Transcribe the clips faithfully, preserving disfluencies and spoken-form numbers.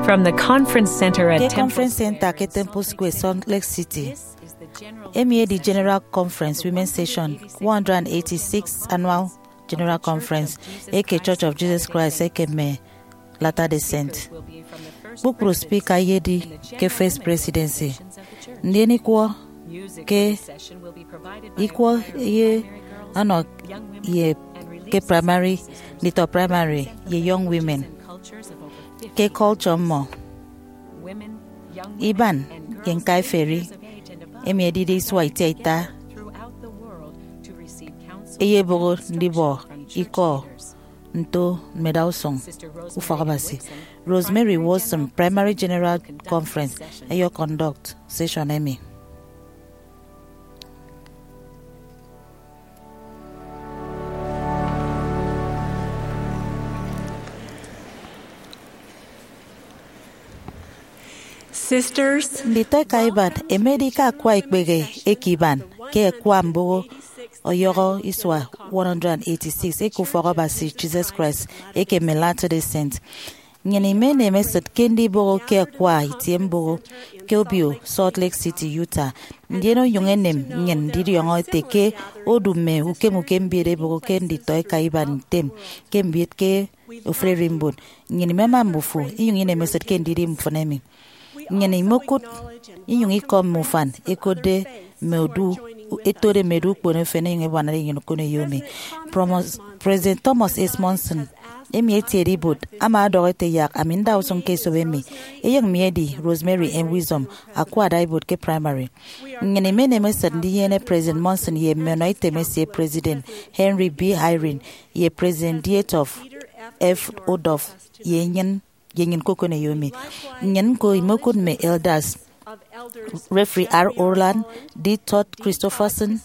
From the Conference Center at Ke Temple Conference Center ke Temple Square, Salt Lake City, emi edi General Conference Women's Session, one hundred eighty-six Annual General Conference eke Church of Jesus Christ eke mme Latter-day Saint. Kpukpru speaker eyedi ke First Presidency, ndien ikwọ ke ikwọ ye ọnọ ye ke primary, nditọ primary ye young women ke culture mmọ, iban ye ñkaiferi emi edide isua itiaita eyeboho ndibọ ikọ nto mmeda usụñ ufọkabasi. Rosemary Wilson, Primary General Conference, eyọ conduct session emi. Sisters, nditọ eka iban, emedi ke akwa ikpehe eke iban ke akwa mboho ọyọhọ isua one hundred eighty-six eke ufọk Abasi Jesus Christ eke mme Latter-day Saint. Nnyịn imenem esịt ke ndiboho ke akwa itie mboho ke obio Salt Lake City, Utah, ndien onyụñ enem nnyịn ndidiọñọ ete ke odu mme ukem ukem mbiet eboho ke nditọ eka iban item ke mbiet ke ofụri ererimbot. Nnyịn imema mbufo inyụñ inem esịt ke ndidi mfịn emi. Nnyịn imokụt inyụñ ikọm mme ufan ẹkotde mme odu, ẹtode mme odu ukpono efen ẹnyụñ ẹbuanade nnyịn okoneyo emi. Promos-, President Thomas S. Monson, emi etiede ibuot, ama ọdọhọ ete, yak ami nda usụñ ke esop emi. Eyen mi edi Rosemary M. Wisdom, akwa ada ibuot ke primary. Nnyịn imenem esịt ndinyene President Monson ye mme ọnọitem esie, President Henry B. Eyring, ye President Dieter F. Uchtdorf, ye nnyịn ye nnyịn ke okoneyo emi. Nnyịn ñko imokụt mme elders, Reverend R. Orland, D. Todd Christofferson,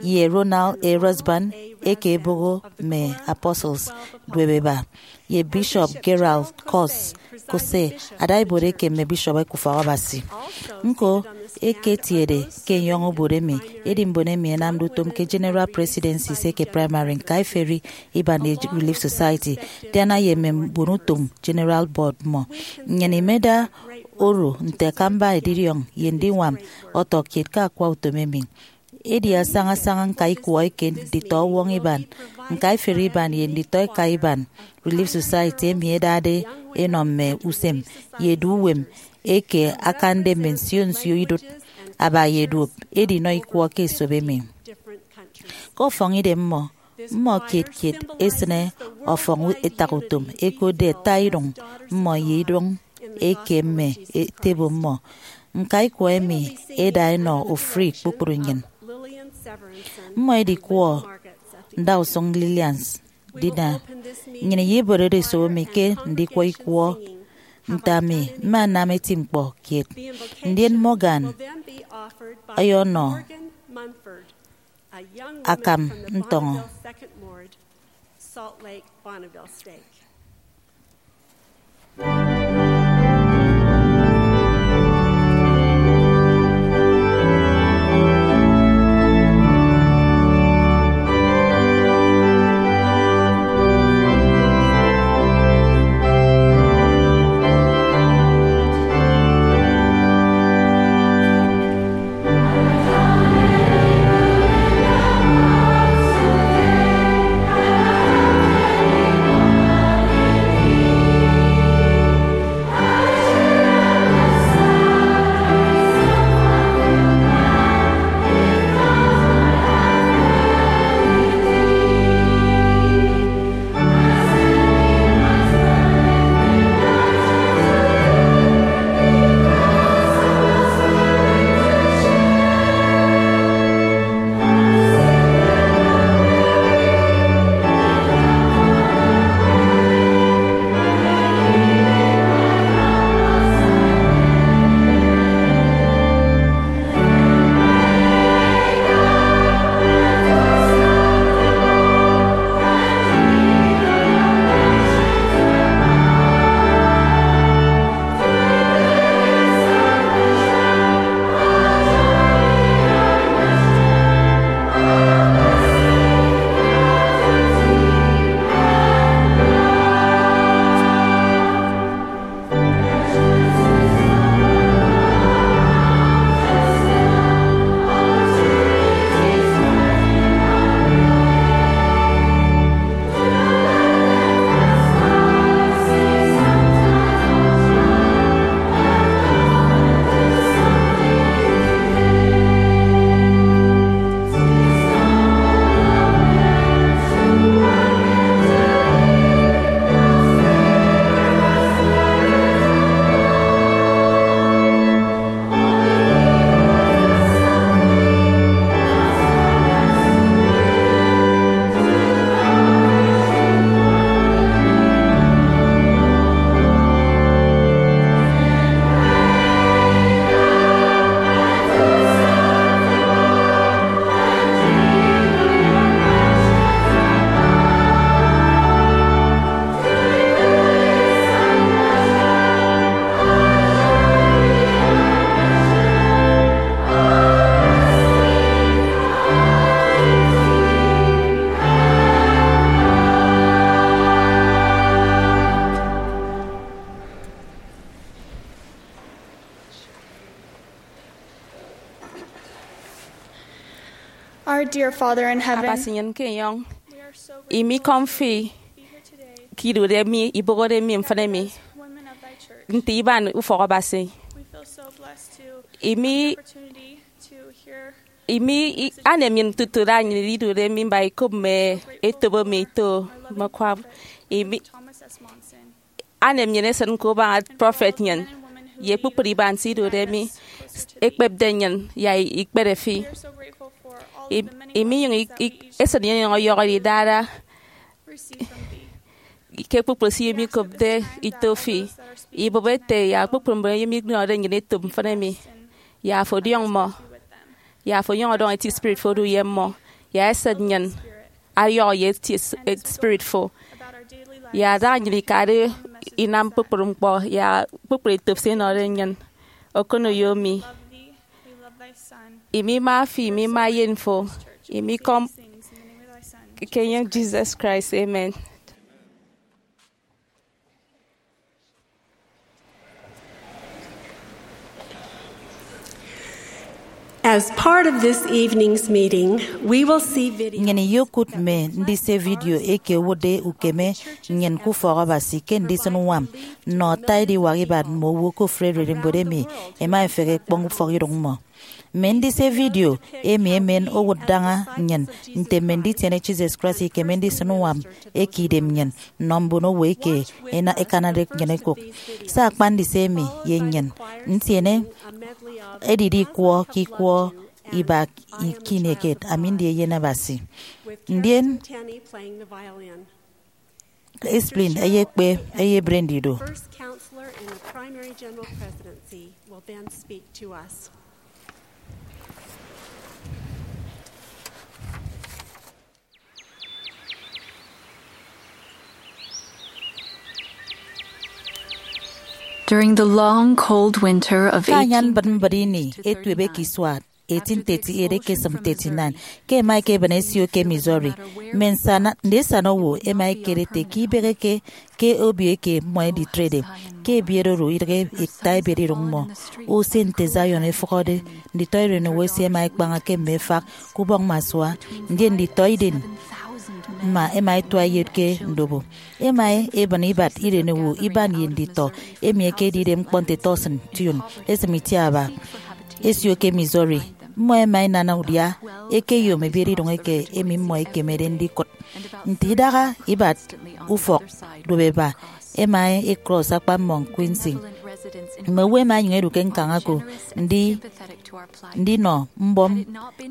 ye Ronald A. Rasband, eke eboho mme Apostles Duebeba, ye Bishop Gerald Cos Cose, ada ibuot eke mme bishop eke ufọk Abasi. Ñko, eketiede ke enyọñ obot emi, edi mbon emi ẹnamde utom ke General Presidencies eke Primary, ñkaiferi iban ye Relief Society, diana ye mme mbon utom General Board mmọ. Nnyịn imeda oro nte akamba edidiọñ ye ndiñwam ọtọ kiet ke akwa utom emi. Edi asaña asaña ñka ikwọ eke nditọ ọwọñ iban, ñkaiferi iban ye nditọ eka iban Relief Society emi ẹdade ẹnọ mme usem ye edu uwem eke akande mme nsio nsio idụt aba ye duop edinọ ikwọ ke esop emi. Ke ọfọñidem mmọ, mmọ kiet kiet ẹsịne ọfọñ etakutom ẹkotde ata idụñ mmọ ye idụñ eke mme etebo mmọ. Ñka ikwọ emi ẹda ẹnọ ofụri kpukpru nnyịn. Mmọ ẹdikwọ ndausụñ Lillian Dina. Nnyịn iyeborede esop emi ke ndikwọ ikwọ nte ami mma nnam eti ñkpọ kiet. Ndien Morgan ọyọnọ akam ntọñọ. Father in heaven, Abasi nnyịn ke enyọñ, we are so imi grateful ikọm fi to be here today ke idude mi, ibuhọde mi mfịn emi as women of thy church. Nte iban ufọk Abasi. We feel so blessed to Imi have the opportunity to hear imi i- anem nnyịn tutu da nnyịn idude mi mba ikop mme etop emi ito mme kwab. Imi Thomas S. Monson. Anem nnyịn esịn ke ubaña prọfet nnyịn ye kpukpru iban se idude mi ekpepde nnyịn ya ikpere fi. I- iminyụñ i- i- esịn nnyịn inyụñ ọyọhọ idara ke kpukpru se emi ikopde ito fi, ibụp ete ya kpukpru mbon emi minọde nnyịn etop mfịn emi, ya afo ọdiọñ mmọ, ya afo ọnyọñ ọdọñ eti spirit fo odu ye mmọ, ya esịt nnyịn ayọhọ ye eti s- eh, spirit fo, ya adaha nnyịn ikade inam kpukpru ñkpọ ya kpukpru etop se inọde nnyịn. Okoneyo mi, imi ima fi, imi ima eyen fo, imi ikọm, ke enyịñ Jesus Christ, amen. As part of this evening's meeting, we will see video. Nnyịn iyokụt mme ndise vidio eke owụtde ukeme nnyịn ke ufọk Abasi ke ndisịn uñwam nnọ ata ediwak ibat mme owo ke ofụri ererimbot emi ẹma ẹfehe ẹkpọñ ufọk idoñ mmọ. Mme ndise vidio emi emen owụt daña nnyịn nte mme nditiene Jesus Christ ikeme ndisịn uñwam eke idem nnyịn nnọ mbon owo eke ena- ẹkanade nnyịn ẹkụk. Se akpa ndise emi ye nnyịn ntiene edide ikwọ ke ikwọ iba ke ini eket, Ami Ndi Eyen Abasi. Ndien Esplin eyekpe eyebre ndidu. First counselor in the Primary General Presidency will then speak to us. During the long, cold winter of Ke anyan eighteen mbịt mbịt ini etuebe ke isua eighteen thirty-eight ekesịm thirty-nine, ke ẹma ẹkebịn ẹsio ke Missouri. Mme nsana, ndisana owo ẹma ẹkere ete ke ibeheke ke obio eke mmọ ẹditrede. Ke ebiet oro idịghe ita ebiet idoñ mmọ. Usen nte Zion efụhọde, nditọ erenowo esie ẹma ẹkpaña ke mme efak ke ubọñ mme asua, ndien nditọ idem mma ẹma ẹtua ẹyet ke ndobo. Ẹma ẹbịn ibat irenowo iban ye nditọ emi ẹkedide ñkpọ nte Thurston Tune, esịm itiaba, ẹsio ke Missouri. Mmọ ẹma ẹnana udia ẹkeyom ebiet idoñ eke emi mmọ ẹkemede ndikụt. Nte idaha ibat ufọk duop eba, ẹma ẹcross akpa mmọñ Quincy. Mme owo ẹma ẹnyụñ ẹdu ke ñkañ ako ndi- ndinọ mbọm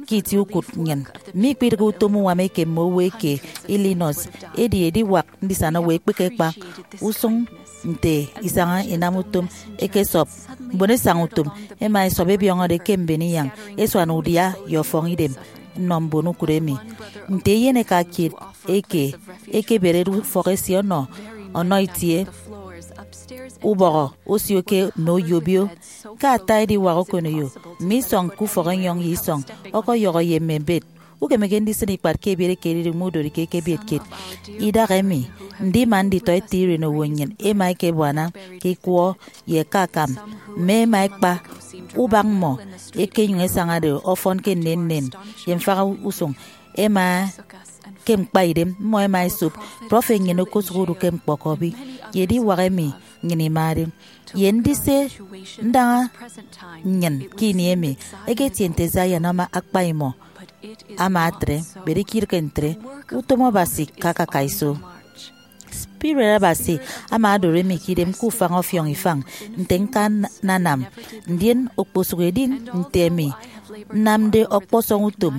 ke itie ukụt nnyịn. Mme ikpidịghe utom uñwam eke mme owo eke Illinois, edi ediwak ndisana owo ekpehe ekpa usụñ nte isaña inam utom ekesọp. Mbon esaña utom ẹma ẹsọp ẹbiọñọde ke mben inyañ, ẹsuana udia ye ọfọñ idem nnọ mbon ukụt emi. Nte eyeneka kiet eke ekeberede ufọk esie ọnọ ọnọ itie ubọhọ osio ke mme oyobio, ke ata ediwak okoneyo, mme isọñ ke ufọk enyọñ ye isọñ, ọkọyọhọ ye mme bed. Ukemeke ndisịn ikpat ke ebiet ekededi mme udorike ke ebiet kiet. Idaha emi, ndima nditọ ete irenowo nnyịn ẹma ẹkebuana ke ikwọ ye ke akam, mme ẹma ẹkpa ubak mmọ ẹkenyụñ ẹsañade ọfọn ke nnennen ye mfaha usụñ. Ẹma ke ñkpaidem mmọ ẹma ẹsop. Prọfet nnyịn okosụk odu ke ñkpọkọbi ye ediwak emi nnyịn imade. Ye ndise ndaña nnyịn ke ini emi, eketie nte Zion ama akpa imọ. Ama atre, bere ikirịke ntre, utom Abasi ke akaka iso. Spirit Abasi ama odoro emi ke idem ke ufañ ọfiọñ ifañ nte ñkananam, ndien okposụk edi nte emi nnamde ọkpọsọñ utom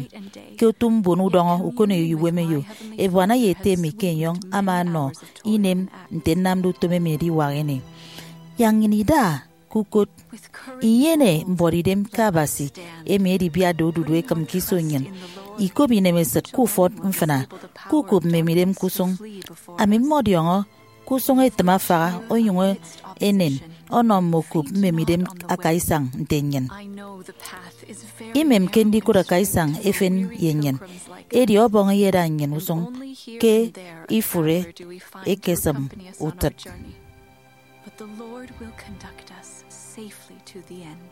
ke otu mbon udọñọ ukoneyo ye uwemeyo. Ebuana ye ete emi ke enyọñ ama ọnọ inem nte nnamde utom emi ediwak ini. Yak nnyịn ida ke ukot, inyene mbuọtidem ke Abasi, emi edibiatde odudu ekịm ke iso nnyịn, ikop inemesịt ke ufọt mfịna, ke ukop mmemidem ke usụñ. Ami mmọdiọñọ ke usụñ etịm afaha, onyụñ enen ọnọ mme okop mmemidem akaisañ nte nnyịn. Imemke ndikụt akaisañ efen ye nnyịn, edi Ọbọñ eyeda nnyịn usụñ ke ifụre ekesịm utịt. But the Lord will conduct us safely to the end.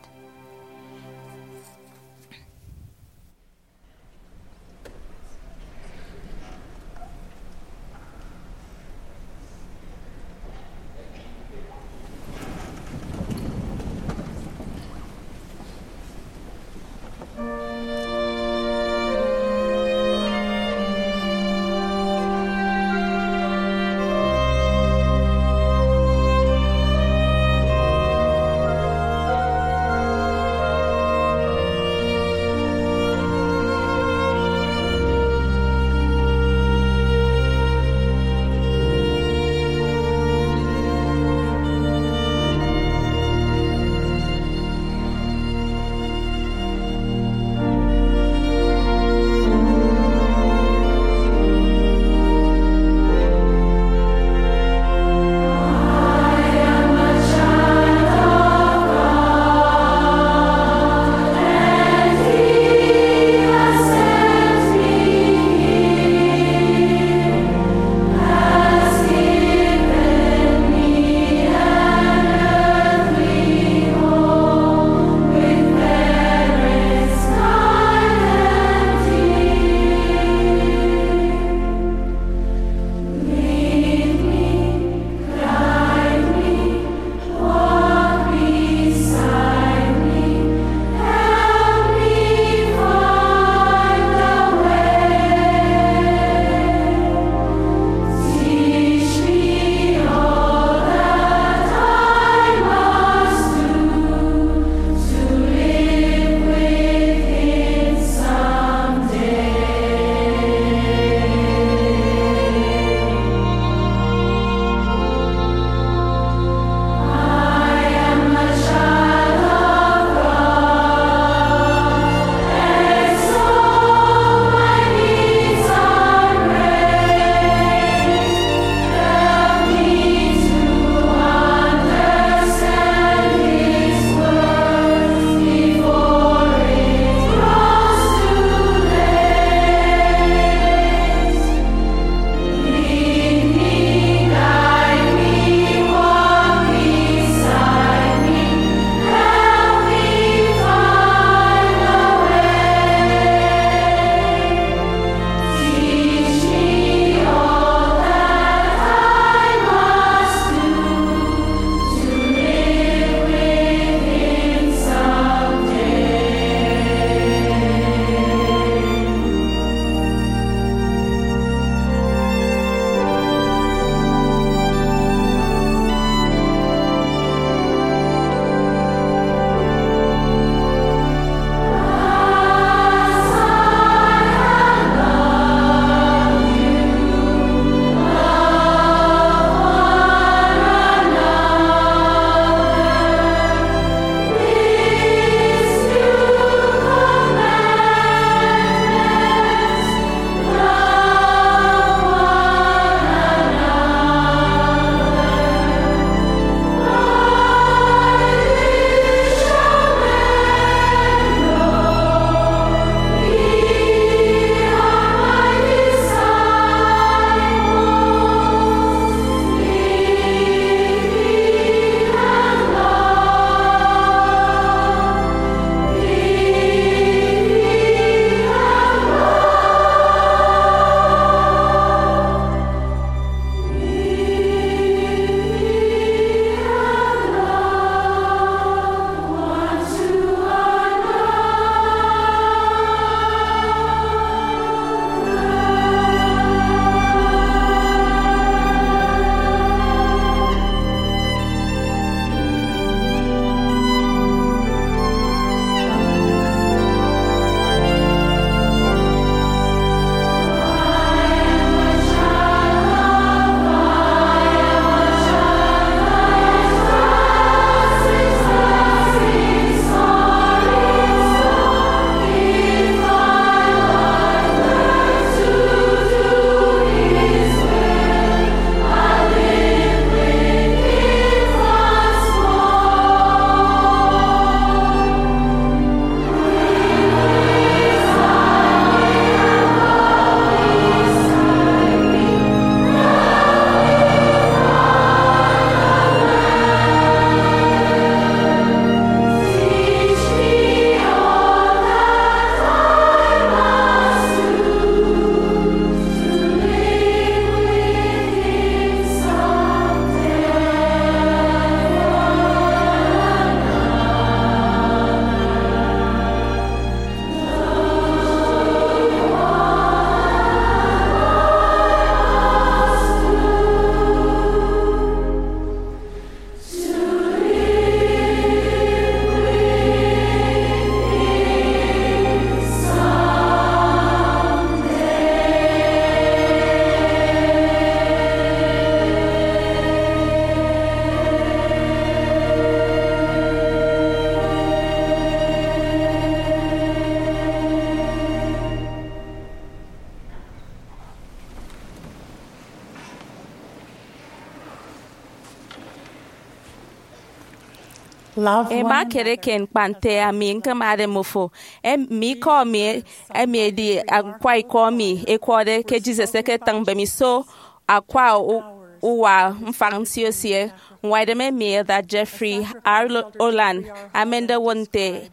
Ema akere ke ñkpa nte ami ñkemade mmofo. Em, mme ikọ mi, emi edi akwa ikọ mi, ekwọde ke Jesus eketịñ mbemiso akwa u-, uwa mfañ nsio esie. Ñwaidem emi Elder Jeffrey R. Holland amende owot nte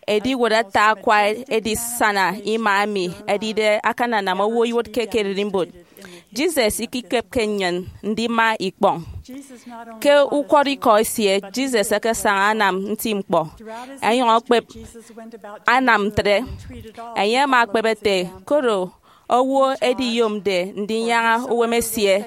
ediwot ata akwa edisana ima emi edide akananam owo iwụtke ke ererimbot. Jesus ikikepke nnyịn ndima ikpọñ. Ke ukwọrọikọ esie, Jesus ekesaña anam nti ñkpọ. Enyọñ ekpep anam ntre. Enye ama ekpep ete, koro owo ediyomde ndinyaña uwem esie,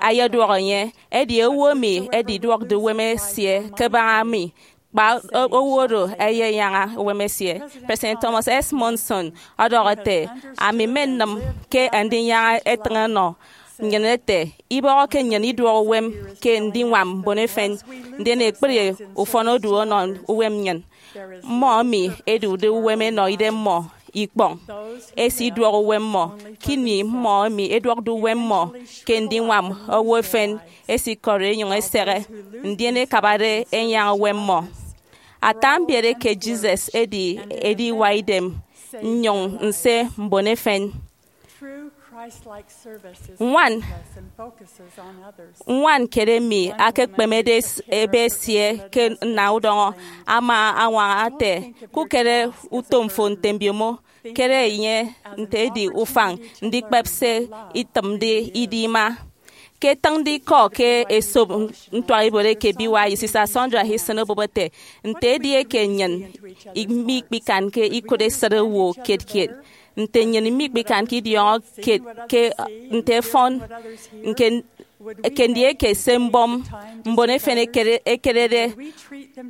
eyeduọk enye, edi owo emi ediduọkde uwem esie ke ebaña mi, kpa o-, owo oro eyenyaña uwem esie. President Thomas S. Monson ọdọhọ ete, ami mmenịm ke ndinyaña etịñ ọnọ nnyịn ete, ibọhọke nnyịn iduọk uwem ke ndiñwam mbon efen, ndien ekpri ufọn odu ọnọ uwem nnyịn. Mmọ emi ẹdude uwem ẹnọ idemmọ ikpọñ, ẹsiduọk uwem mmọ. Ke ini mmọ emi ẹduọkde uwem mmọ ke ndiñwam owo efen, ẹsikọri ẹnyụñ ẹsehe, ndien ẹkabade ẹnyaña uwem mmọ. Ata mbiet eke Jesus edi ediwa idem nnyụñ nse mbon efen. Ñwan, ñwan kiet emi akekpemede s-, ebe esie ke nna udọñọ ama añwaña ete, kukere utom fo nte mbiomo, kere enye nte edi ufañ ndikpep se itịmde idi ima. Ke ẹtịñde ikọ ke esop ntuaibot eke B Y U, Sista Sandra Hinson obụp ete, nte edieke nnyịn mikpikanke ikụt esịt owo kiet kiet, nte nnyịn mikpikanke idiọñọ kiet ke nte ẹfọn, nke, ke ndieke se mbọm mbon efen ekere-, ekerede,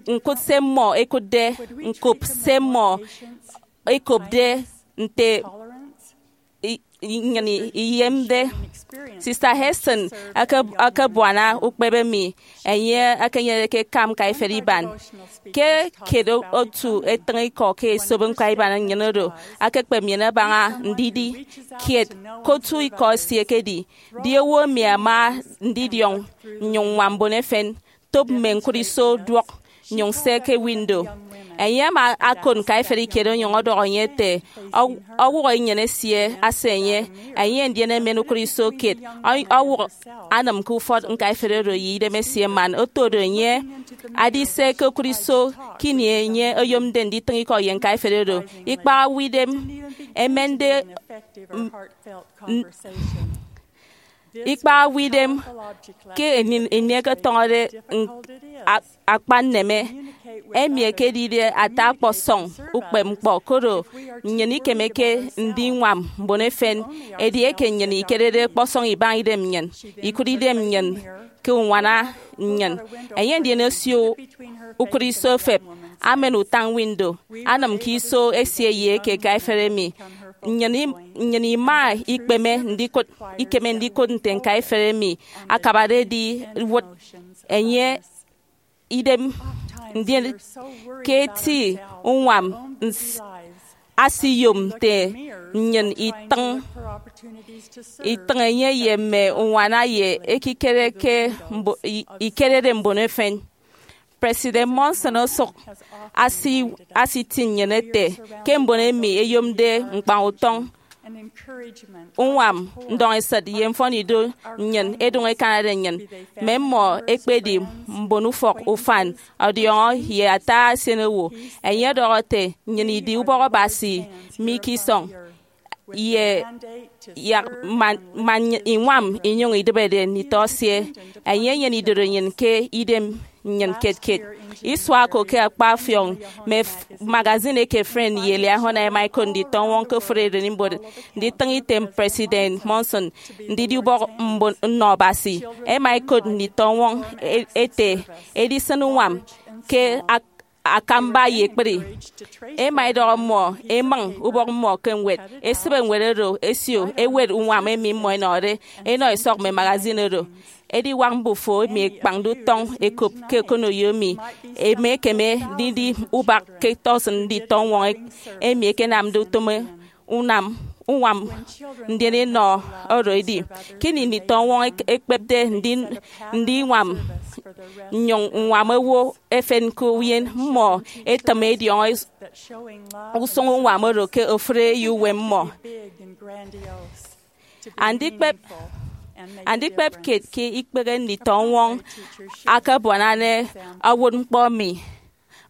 ñkụt se mmọ ẹkụtde, ñkop se mmọ ẹkopde, nte i-, i-, nnyịn iyemde. Sista Hinson ake-, akebuana ukpep emi enye ekenyenede ke akam ñkaiferi iban. Ke kiet otu etịñ ikọ ke esop ñkaiban nnyịn oro akekpep nnyịn abaña ndidi kiet ke otu ikọ esie ekedi, di owo emi ama ndidiọñ nnyụñ ññwam mbon efen, top mme ñkụt iso duọk, nyụñ se ke window. Enye ama akot ñkaiferi kiet onyụñ ọdọhọ enye ete, ọ-, ọwụhọ inyene esie ase enye, enye ndien emen ukụt iso kiet, ọ-, ọwụk anam ke ufọt ñkaiferi oro ye idem esie man oto do enye adise ke ukụt iso ke ini enye oyomde nditịñ ikọ ye ñkaiferi oro. Ikpaha owo idem emende m-, n-, ikpaha owo idem ke ini, ini ẹketọñọde n-, a-, akpa nneme, emi ekedide ata ọkpọsọñ ukpepñkpọ, koro nnyịn ikemeke ndiñwam mbon efen. Edieke nnyịn ikerede ọkpọsọñ ibaña idem nnyịn, ikụt idem nnyịn ke uñwana nnyịn. Enye ndien osio ukụt iso efep, amen utañ window, anam ke iso esie ye eke ñkaiferi emi. Nnyịn im-, nnyịn ima ikpeme ndikụt, ikeme ndikụt nte ñkaiferi emi akabade ediwụt enye idem, ndien ke eti uñwam ns-, asiyom nte nnyịn itịñ, itịñ enye ye mme uñwana ye ekikere ke mbo-, i-, ikerede mbon efen. President Monson osụk asi-, asitiñ nnyịn ete ke mbon emi eyomde ñkpañ utọñ, uñwam, ndọñesịt ye mfọnido nnyịn ẹdụñ ẹkanade nnyịn, mme mmọ ẹkpedi mbon ufọk ufan, ọdiọñọ ye ata esenowo. Enye ọdọhọ ete, nnyịn idi ubọk Abasi mi ke isọñ, ye yak man, man iñwam inyụñ idịbede nditọ esie. Enye enyene idorenyin ke idem nnyịn kiet kiet. Isua ko ke akpa afiọk, mme f-, magazine eke Friend ye Liahona ẹma ẹkot nditọñwọñ ke ofụri ererimbot nditịñ item President Monson ndidi ubọk mbon nnọ Abasi. Ẹma ẹkot nditọñwọñ e-, ete, edisịn uñwam ke ak-, akamba ye ekpri. Ẹma ẹdọhọ mmọ ẹmịñ ubọk mmọ ke ñwed, ẹsịbe ñwed oro ẹsio ẹwet uñwam emi mmọ ẹnọde ẹnọ ẹsọk mme magazine oro. Ediwak mbufo emi ẹkpañde utọñ ẹkop ke okoneyo emi, ẹma ẹkeme ndidi ubak ke tọsịn nditọñwọñ emi ẹkenamde utom unam uñwam ndien enọ oro edi. Kini nditọ ọñwọñ ek- ekpepde ndi- ndiñwam nnyụñ ññwam owo efen ke uyen mmọ etịm ediọñọ is- usụñ uñwam oro ke ofụri eyouwem mmọ. Andikpep andikpep kiet ke ikpehe nditọ ọñwọñ akabuanade owụt ñkpọ mi.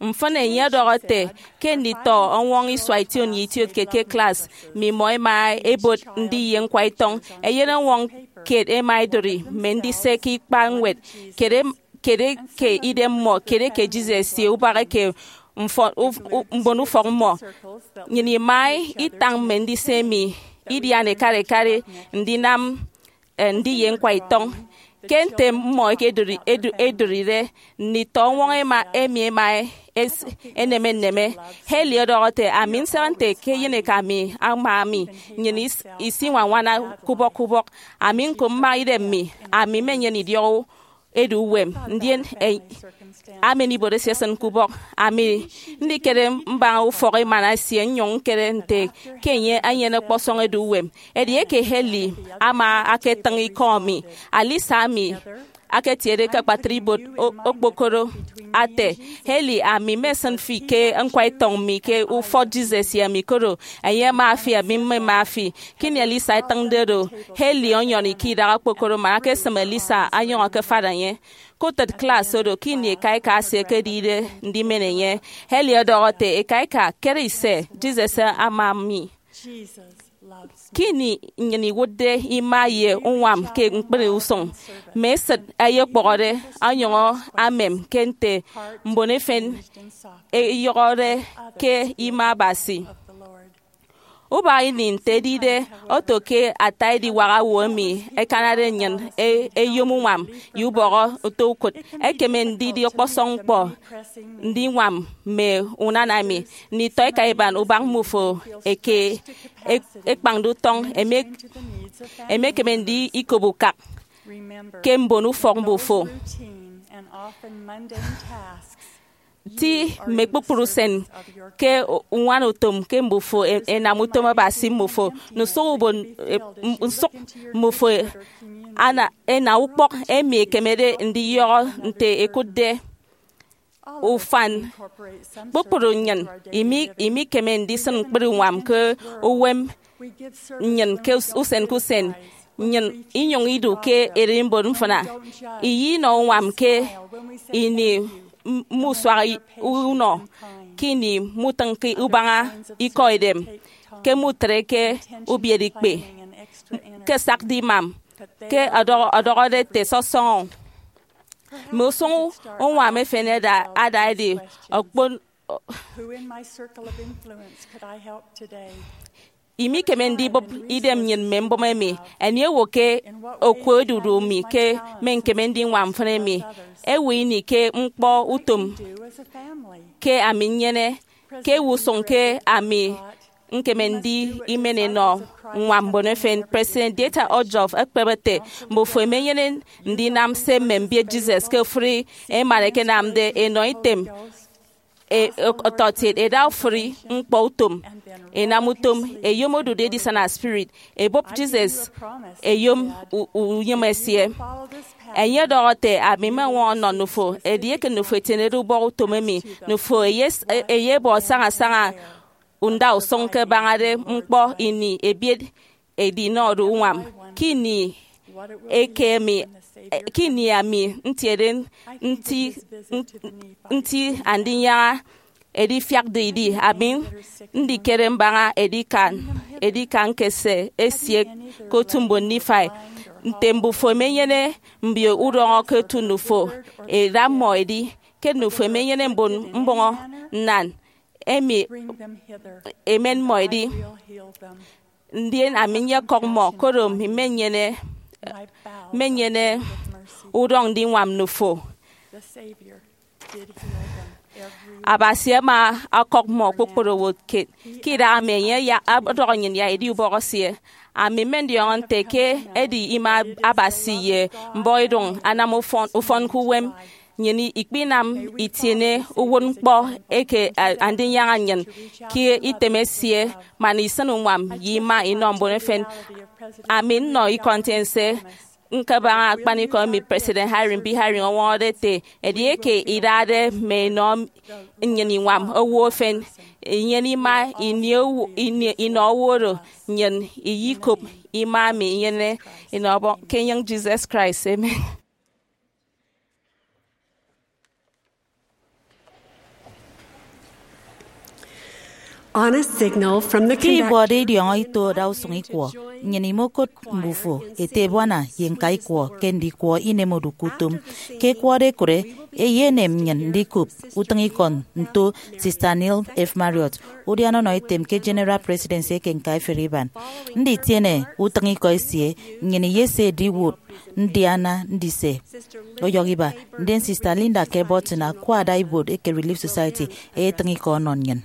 Mfịn, enye ọdọhọ ete ke nditọ ọñwọñ isua ition ye itiotke ke klas mi mmọ ẹma ẹbot ndiye ñkwaitọñ. Eyenọwọñ kiet ẹma ẹdụri mme ndise ke ikpañwed, kere kere ke idem mmọ kere ke Jesus ye ubak eke mfọ- uf- u- mbon ufọk mmọ. Nnyịn ima itañ mme ndise emi idian ekare ekare ndinam eh, ndiye ñkwaitọñ. Ke nte mmọ ẹkedụri- edu- edụride, nditọ ọñwọñ ẹma- emi ẹma es- ẹneme nneme. Haley ọdọhọ ete, ami nsịn nte ke eyeneka mi ama ami, nnyịn is- isiñwañwana ke ubọk ke ubọk. Ami ñko mma idem mi, ami mmenyene idiọk edu uwem, ndien e- amen ibuot esie esịn ke ubọk. Ami ndikere mbaña ufọk emana esie nnyụñ ñkere nte ke enye enyene ọkpọsọñ edu uwem. Edieke Haley ama aketịñ ikọ mi, Alyssa ami aketiede ke akpatre ibuot o- okpokoro ate, Haley, ami mmesịn fi ke ñkwaitọñ mi ke ufọt Jesus ye ami, koro enye ama fi, ami mmema fi. Kini Alyssa etịñde do, Haley ọnyọri ke idaha okpokoro man akesịm Alyssa anyọñọ ke afada enye. Ke utịt klas oro, kini eka eka esie ẹkedide ndimen enye, Haley ọdọhọ ete, eka eka, kere ise, Jesus ama mi. Kini nnyịn iwụtde ima ye uñwam ke ñkpri usụñ, mme esịt ẹyekpụhọde ọnyọñọ amem ke nte mbon efen ẹyọhọde ke ima Abasi. Ubak ini, nte edide oto ke ata ediwak owo emi ẹkanade nnyịn e- eyom uñwam ye ubọhọ nto ukụt, ekeme ndidi ọkpọsọñ ñkpọ ndiñwam mme unana emi. Nditọ eka iban ubak mmufo eke e- ekpañde utọñ emi- emekeme ndikop ukak ke mbon ufọk mmufo. Ti mme kpukpru usen ke uñwana utom ke mbufo e- enam utom Abasi mmufo. Nusụk ubon e- m- nsụk mmufo ana- ena ukpọk emi ekemede ndiyọhọ nte ẹkụtde ufan. Kpukpru nnyịn imi- imikeme ndisịn ñkpri uñwam ke uwem nnyịn ke us- usen ke usen, nnyịn inyụñ idu ke ererimbot mfịna. Iyinọ uñwam ke ini m- musuak i- unọ, ke ini mutịñke ubaña ikọ edem, ke mutreke ubiereikpe, ke sakde imam, ke ọdọhọ- ọdọhọde ete sọsọñọ. Mme usụñ uñwam efen ada ada edi okpon. Who in my circle of influence could I help today? Imikeme ndibụp idem nnyịn mme mbụme emi. Anie owo ke oku odudu mi ke mme ñkeme ndiñwam mfịn emi? Ewe ini ke ñkpọ utom Do as a family. Ke ami nnyene, ke ewe usụñ ke ami ñkeme ndi imen enọ ññwam mbon efen? President Dieter Uchtdorf ekpep ete, mbufo emenyene ndinam se mme mbiet Jesus ke ofụri emana ẹkenamde, enọ item e- ọtọkiet, eda ofụri ñkpọ utom, enam utom, eyom odude edisana spirit, ebụp Jesus, eyom u- unyịme esie. Enye ọdọhọ ete, ami mmeñwọñọ nnọ Nufo, edieke Nufo etienede ubọhọ utom emi, Nufo eyes- eyebọ sañasaña ndausụñ ke abañade ñkpọ ini ebiet edinọ do uñwam. Ke ini eke emi, ke ini ami ntiede nti, nti andinyaña edifiakde idi, ami ndikere mbaña edikan, edikan ke se esie ke otu mbon Nifai, nte mbufo emenyene mbio udọñọ ke otu Nufo, eda mmọ edi, ke Nufo emenyene mbon mbọñọ nnan emi, emen mmọ edi. Ndien ami nyekọk mmọ, koro mmenyene, mmenyene udọñ ndiñwam Nufo. Abasi ama ọkọk mmọ kpukpru owo kiet. Ke idaha emi, enye ya- ọdọhọ nnyịn ya edi ubọhọ esie. Ami mmendiọñọ nte ke edi ima Abasi ye mbọhọidụñ anam ufọn, ufọn ke uwem. Nnyịn ikpinam itiene uwụtñkpọ eke a- Andinyaña nnyịn ke item esie, man isịn uñwam ye ima inọ mbon efen. Ami nnọ ikọ ntiense ñkabaña akpanikọ emi President Hiram B. Hiram ọñwọñọde ete, edieke idade mme inọ nnyịn iñwam owo efen, inyene ima ini owo- ini- inọ owo oro, nnyịn iyikop ima emi inyene inọ Ọbọñ ke enyịñ Jesus Christ. Amen. On a signal from the Ke conductor. Ibọde idiọñọ ito ada usụñ ikwọ, nnyịn imokot mbufo ete ebuana ye ñka ikwọ ke ndikwọ inem odụk utom. Ke ẹkwọde ẹkụre, eyenem nnyịn ndikop utịñikọ nto Sister Neal F. Marriott, udiana ọnọ etem ke General Presidency eke Ñkaiferi Iban. Nditiene utịñikọ esie, nnyịn iyese ediwụt ndiana ndise ọyọhọ iba, ndien Sister Linda K. Burton, akwa ada ibuot eke Relief Society, eyetịñ ikọ ọnọ nnyịn.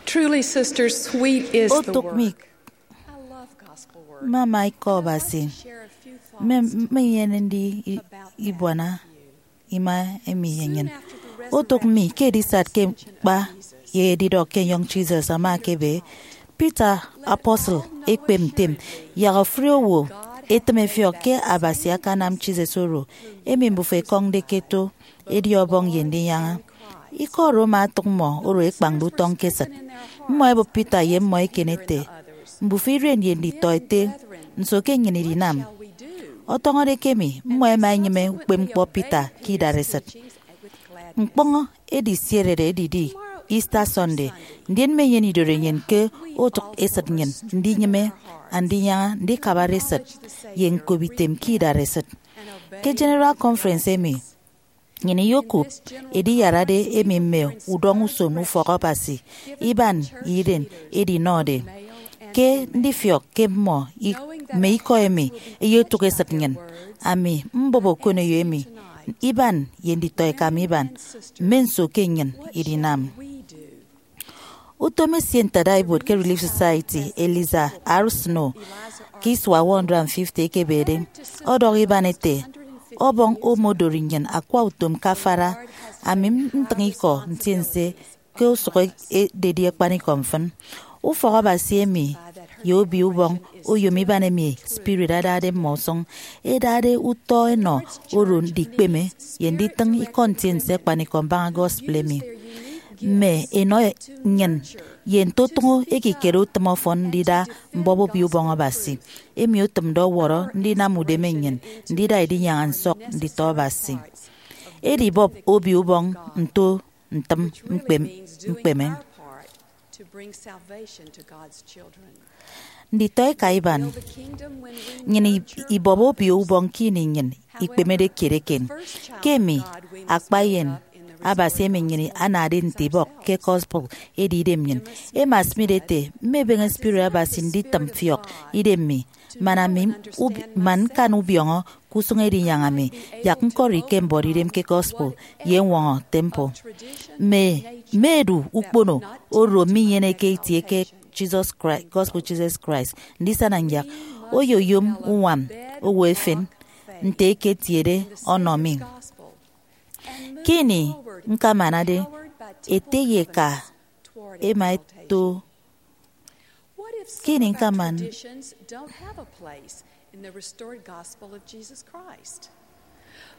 Truly, sisters, sweet is the Otụk mi word. I love gospel words. Mmama ikọ Abasi. Share a few thoughts. Mme mme inyene ndi i- about that ibuana ima emi ye nnyịn. Otụk mi ke edisat ke ñkpa ye edidọk ke enyọñ Jesus ama ekebe. Peter apostle ekpep ntem, yak ofụri owo etịm efiọk ke Abasi akanam Jesus oro, emi mbufo ekọñde ke eto, edi Ọbọñ ye Ndinyaña. Ikọ oro ama atụk mmọ oro ekpañde utọñ ke esịt. Mmọ ẹbụp Peter ye mmọ eken ete, mbufo iren ye nditọete, nso ke nnyịn idinam? Ọtọñọde ke emi, mmọ ẹma ẹnyịme ukpepñkpọ Peter ke idaresịt. Ñkpọñ edisierede edidi Easter Sunday, ndien mmenyene idorenyin ke otụk esịt nnyịn ndinyịme Andinyaña ndikabare esịt ye ñkop item ke idaresịt. Ke General Conference emi, Nnyịn iyokop ediyarade emi mme udọñ uson ufọk Abasi iban ye iren edinọde, ke ndifiọk ke mmọ i- mme ikọ emi eyetụk esịt nnyịn. Ami mbọp okoneyo emi iban ye nditọeka mi iban, mme nso ke nnyịn idinam? Utom esie ntadaibuot ke Relief Society, Eliza R. Snow, ke isua one hundred fifty ekebede, ọdọhọ iban ete, Ọbọñ omodori nnyịn akwa utom ke afara. Ami ntịñ ikọ ntiense ke usụk ededi akpanikọ mfịn. Ufọk Abasi emi ye Obio Ubọñ oyom iban emi spirit adade mmọ usụñ, edade utọ enọ oro ndikpeme ye nditịñ ikọ ntiense akpanikọ mbaña gospel emi. Mme enọ nnyịn ye ntotụñọ ekikere utịm ọfọn ndida mbọp Obio Ubọñ Abasi, emi otịmde ọwọrọ ndinam udeme nnyịn ndida edinyaña nsọk nditọ Abasi. Edibọp Obio Ubọñ nto ntịm mkpem- mkpeme. Nditọeka iban, nnyịn i- ibọp Obio Ubọñ ke ini nnyịn ikpemede kiet eken. Ke emi, akpa eyen Abasi emi nnyịn anade nte ibọk ke gospel edi idem nnyịn. Emma Smith ete, mmebeñe spirit Abasi nditịm mfiọk idem mi, man ami ub- man ñkan ubiọñọ ke usụñ edinyaña mi, yak ñkọri ke mbọde idem ke gospel ye ñwọñọ temple. Mme mme edu ukpono oro minyeneke itie ke Jesus Christ, gospel Jesus Christ, ndisana nyak oyoyom uñwam owo efen nte eketiede ọnọ mi. Ke ini ñkamanade, ete ye eka ema eto. Ke ini ñkaman-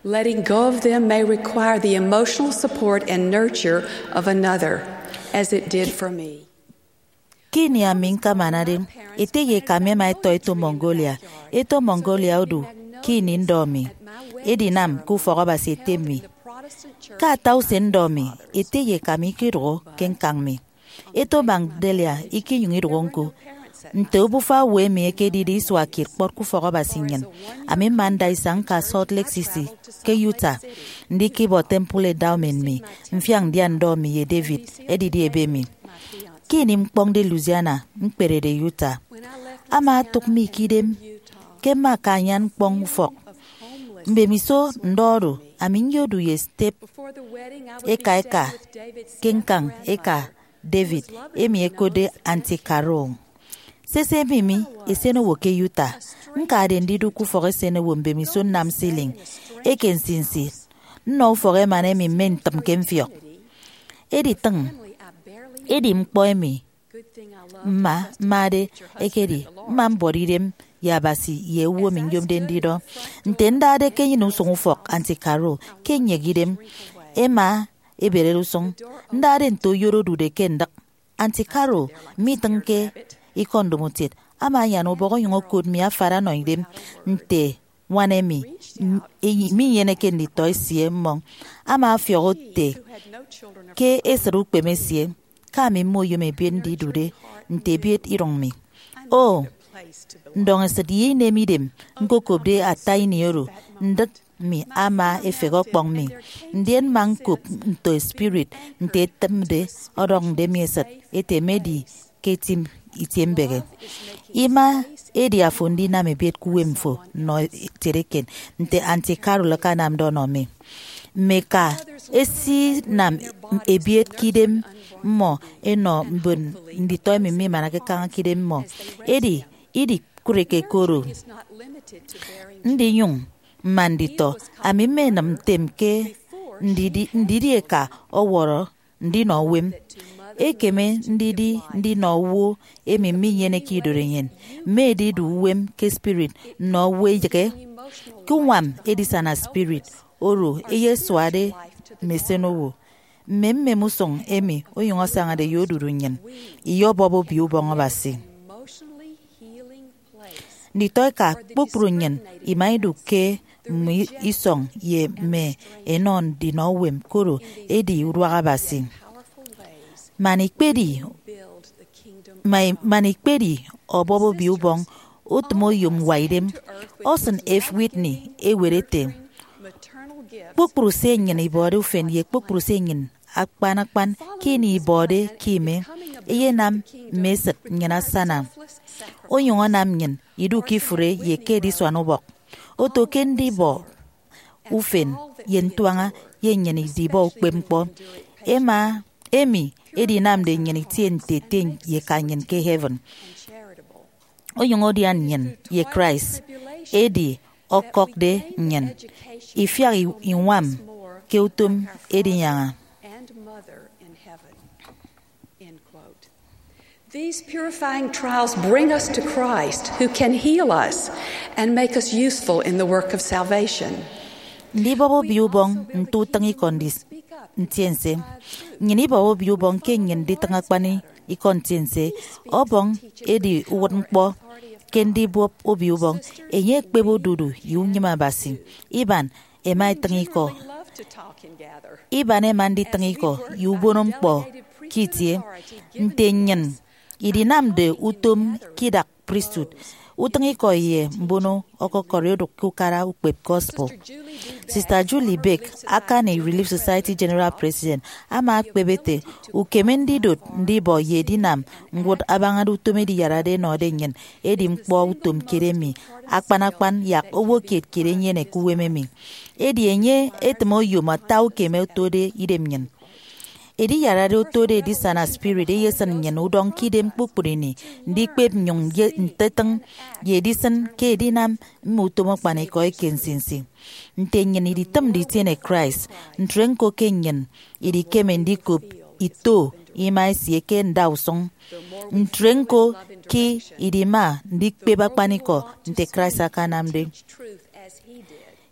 Letting go of them may require the emotional support and nurture of another, as it did for me. Ke ini ami ñkamanade, ete ye eka mi ema etọ eto Mongolia. Eto Mongolia odu ke ini ndọ mi edinam ke ufọk Abasi ete mi. Ke ata usen ndọ mi, ete ye eka mi ikedụhọ ke ñkañ mi. Eto Magdalia ikinyụñ idụhọ ñko. Nte obufa owo emi ekedide isua kiet kpọt ke ufọk Abasi nnyịn, ami mma nda isañ ñka Salt Lake City ke Utah, ndikibọ temple endowment mi, mfiak ndian ndọ mi ye David, edidi ebe mi. Ke ini ñkpọñde Louisiana ñkperede Utah, ama otụk mi ke idem ke mma aka anyan ñkpọñ ufọk. Mbemiso ndọ oro, ami nyodu ye step eka eka ke ñkañ eka David, emi ẹkotde Auntie Carol. Sese emi mi esenowo ke Utah, ñkade ndidu ke ufọk esenowo mbemiso nnam ceiling eke nsinsi, nnọ ufọk emana emi mme ntịm ke mfiọk. Editịñ, edi ñkpọ emi mma mmade ekedi mma mbọde idem ye Abasi ye owo emi nyomde ndidọ. Nte ndade ke enyịn usụñ ufọk Auntie Carol ke nnyek idem, ema eberede usụñ. Ndade nte oyoro odude ke ndịk, Auntie Carol mitịñke ikọ ndomokiet, ama anyan ubọk onyụñ okot mi afara ọnọ idem nte ñwan emi m- eyi- minyeneke nditọ esie mmọñ. Ama ọfiọk ete ke esịt ukpeme esie, ke ami mma oyom ebiet ndidude nte ebiet irụñ mi. O, ndọñesịt ye inem idem ñkokopde ata ini oro, ndịk mi ama efehe ọkpọñ mi, ndien mma ñkop nto spirit nte etịmde ọdọñde mi esịt ete emedi ke eti itiembehe. Ima edi afo ndinam ebiet ke uwem fo nnọ etiede eken nte Auntie Carol akanamde ọnọ mi. Mme eka esinam ebiet ke idem mmọ enọ mbon nditọ emi mimanake kaña ke idem mmọ. Edi, idikụreke ke oro. Ndinyụñ mma nditọ, ami mmenịm ntem ke ndidi, ndidi eka ọwọrọ ndinọ uwem. Ekeme ndidi ndinọ owo emi minyeneke idorenyin, mme edidu uwem ke spirit nnọ owo eyịghe. Ke uñwam edisana spirit oro eyesuade mme esenowo, mme mmem usụñ emi onyụñ asañade ye odudu nnyịn, iyọbọp Obio Ubọñ Abasi. Nditọeka kpukpru nnyịn ima idu ke mme isọñ ye mme enọ ndinọ uwem, koro edi uduak Abasi. Man ikpedi, ma- man ikpedi ọbọp Obio Ubọñ, utịm oyom ñwaidem. Orson F. Whitney ewet ete, Kpukpru se nnyịn ibọde ufen ye kpukpru se nnyịn akpan akpan ke ini ibọde ke ime, eyenam mme esịt nnyịn asana, onyụñ anam nnyịn idu ke ifụre ye ke edisuan ubọk. Oto ke ndibọ ufen ye ntuaña ye nnyịn idibọ ukpepñkpọ, ema emi edinamde nnyịn itie nte ete ye eka nnyịn ke heaven, onyụñ adian nnyịn ye Christ, edi ọkọkde nnyịn ifiak i- iñwam ke utom edinyaña. These purifying trials bring us to Christ, who can heal us and make us useful in the work of salvation. Ndibọp obio ubọñ nte utịñikọ ndis- ntiense. Nnyịn ibọp obio ubọñ ke nnyịn nditịñ akpan ikọ ntiense. Ọbọñ edi uwụtñkpọ ke ndibọp obio ubọñ. Enye ekpep odudu ye unyịme Abasi. Iban ẹma ẹtịñ ikọ. Iban ẹma nditịñ ikọ ye ubono ñkpọ ke itie. Nte nnyịn idinamde utom ke idak priesthood, utịñikọ ye mbono ọkọkọri odụk ke ukara ukpep gospel. Sister Julie Beck, akani Relief Society General President, ama ekpep ete, ukeme ndidot ndibọ ye edinam ñwụt abañade utom Ediyarade ẹnọde nnyịn, edi ñkpọ utom kiet emi akpan akpan yak owo kiet kiet enyene ke uwem emi. Edi enye etịm oyom ata ukeme otode idem nnyịn. Ediyarade otode edisana spirit eyesịn nnyịn udọñ ke idem kpukpru ini, ndikpep nnyụñ ye ntetịñ ye edisịn ke edinam mme utom akpanikọ eke nsinsi. Nte nnyịn iditịmde itiene Christ, ntre ñko ke nnyịn idikeme ndikop ito ima esie ke ndausụñ. Ntre ñko ke idima ndikpep akpanikọ nte Christ akanamde.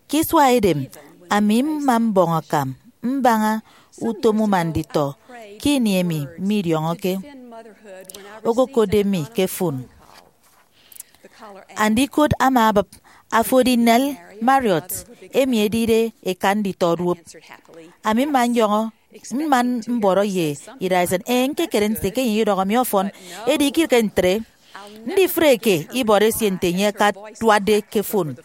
Ke isua edem, ami mma mbọñ akam mbaña utom uma nditọ ke ini emi midiọñọke, okokotde mi ke fon. Andikot ama abịp, "Afo edi Nell Marriott, emi edide eka nditọ duop?" Ami mma nyọñọ, mma mbọrọ ye idaisen, "Ee, ñkekere nte ke enye idọhọ mi ọfọn, edi ikirịke ntre." Ndifreke ibọrọ esie nte enye akatuatde ke fon.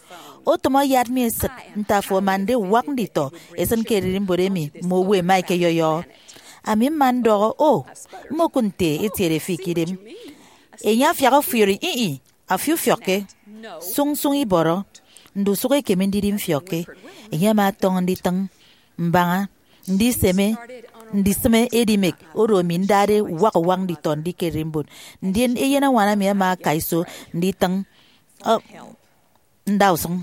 Otụm ayat mi esịt nte afo amande uwak nditọ esịn ke ererimbot emi mme owo ẹma ẹkeyọyọhọ. Ami mma ndọhọ, "O, mmokụt nte etiede fi ke idem." Enye afiak ọfiori, "Ih, ih, afo ufiọkke. Sụñsụñ ibọrọ, ndusụk ekeme ndidi mfiọkke." Enye ama ọtọñọ nditịñ mbaña ndiseme, ndisịme edimek oro ami ndade uwak uwak nditọ ndi ke ererimbot. Ndien eyenañwan ami ama aka iso nditịñ, ọ, ndausụñ.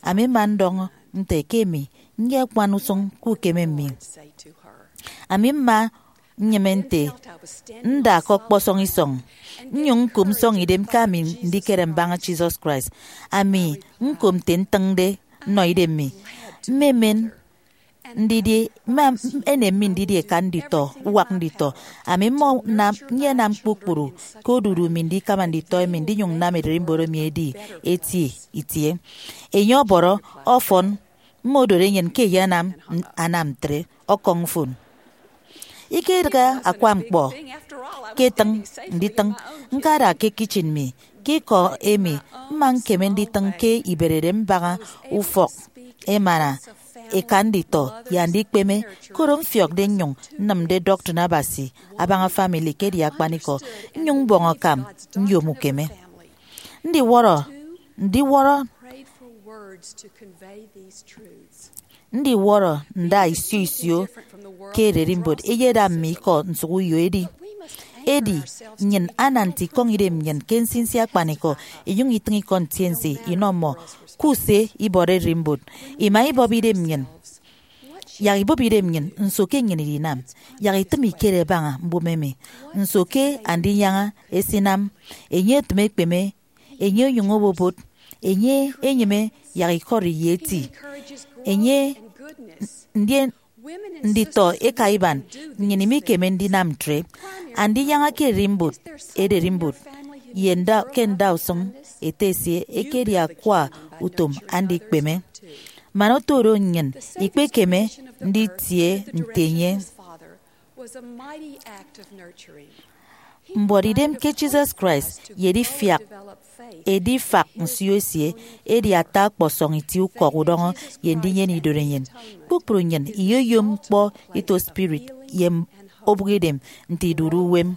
Ami mma ndọñọ nte ke emi nyekpan usụñ ke ukeme mi. Ami mma nnyịme nte nda ke ọkpọsọñ isọñ, nnyụñ ñkop nsọñidem ke ami ndikere mbaña Jesus Christ. Ami ñkop nte ntịñde nnọ idem mi. Mmemen ndidi, mma enem mi ndidi eka nditọ, uwak nditọ. Ami mma nam, nyenam kpukpru ke odudu mi ndikama nditọ emi, ndinyụñ nnam ererimbot emi edi eti itie. Enye ọbọrọ ọfọn, mma odoro enyịn ke eyenam, anam ntre, ọkọñ fon. Ikedịghe akwa ñkpọ ke etịñ nditịñ, ñkada ke kitchen mi. Ke ikọ emi, mma ñkeme nditịñ ke iberede mbaña ufọk emana eka nditọ ye andikpeme, koro mfiọkde nnyụñ nnịmde doctrine Abasi abaña family ke edi akpanikọ, nnyụñ mbọñ akam nyom ukeme. Ndiwọrọ, ndiwọrọ, ndiwọrọ nda isio isio ke ererimbot eyeda mme ikọ nsụk uyo edi. Edi, nnyịn ana nte ikọñ idem nnyịn ke nsinsi akpanikọ, inyụñ itịñ ikọ ntiense inọ mmọ. Kuse ibọrọ ererimbot. Ima ibọp idem nnyịn, yak ibọp idem nnyịn, nso ke nnyịn idinam? Yak itịm ikere baña mbụme emi. Nso ke Andinyaña esinam? Enye etịm ekpeme, enye onyụñ obobot, enye enyịme yak ikọri ye eti. Enye, ndien nditọ eka iban, nnyịn imikeme ndinam ntre. Andinyaña ke ererimbot, ererimbot, ye nda, ke ndausụñ ete esie ekedi akwa utom andikpeme. Man oto oro nnyịn ikpekeme nditie nte enye. Mbuọtidem ke Jesus Christ ye edifiak, edifak nsio esie edi ata ọkpọsọñ itie ukọk udọñọ ye ndinyene idorenyin. kpukpru nnyịn iyoyom ñkpọ ito spirit ye obụkidem nte idude uwem.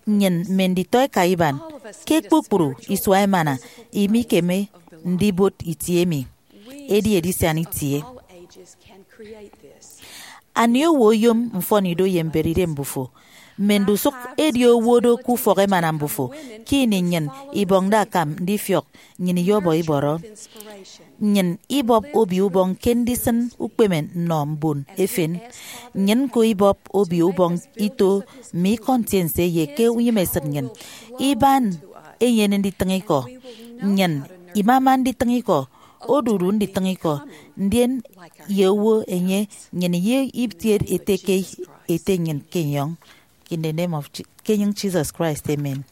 Nnyịn mme nditọeka iban ke kpukpru isua emana imikeme ndibot itie emi, edi edisian itie. Anie owo oyom mfọnido ye mberide mbufo? Mme ndusụk edi owo do ke ufọk emana mbufo. Ke ini nnyịn ibọñde akam ndifiọk, nnyịn iyọbọ ibọrọ. Nnyịn ibọp Obio Ubọñ ke ndisịn ukpeme nnọ mbon efen. Nnyịn ñko ibọp Obio Ubọñ ito mme ikọ ntiense ye ke unyịmesịt nnyịn. Iban enyene nditịñ ikọ. Nnyịn imama nditịñ ikọ, odudu nditịñ ikọ, ndien ye owo enye nnyịn ye itiet ete ke ete nnyịn ke enyọñ. In the name of Je- ke enyịñ Jesus Christ, amen.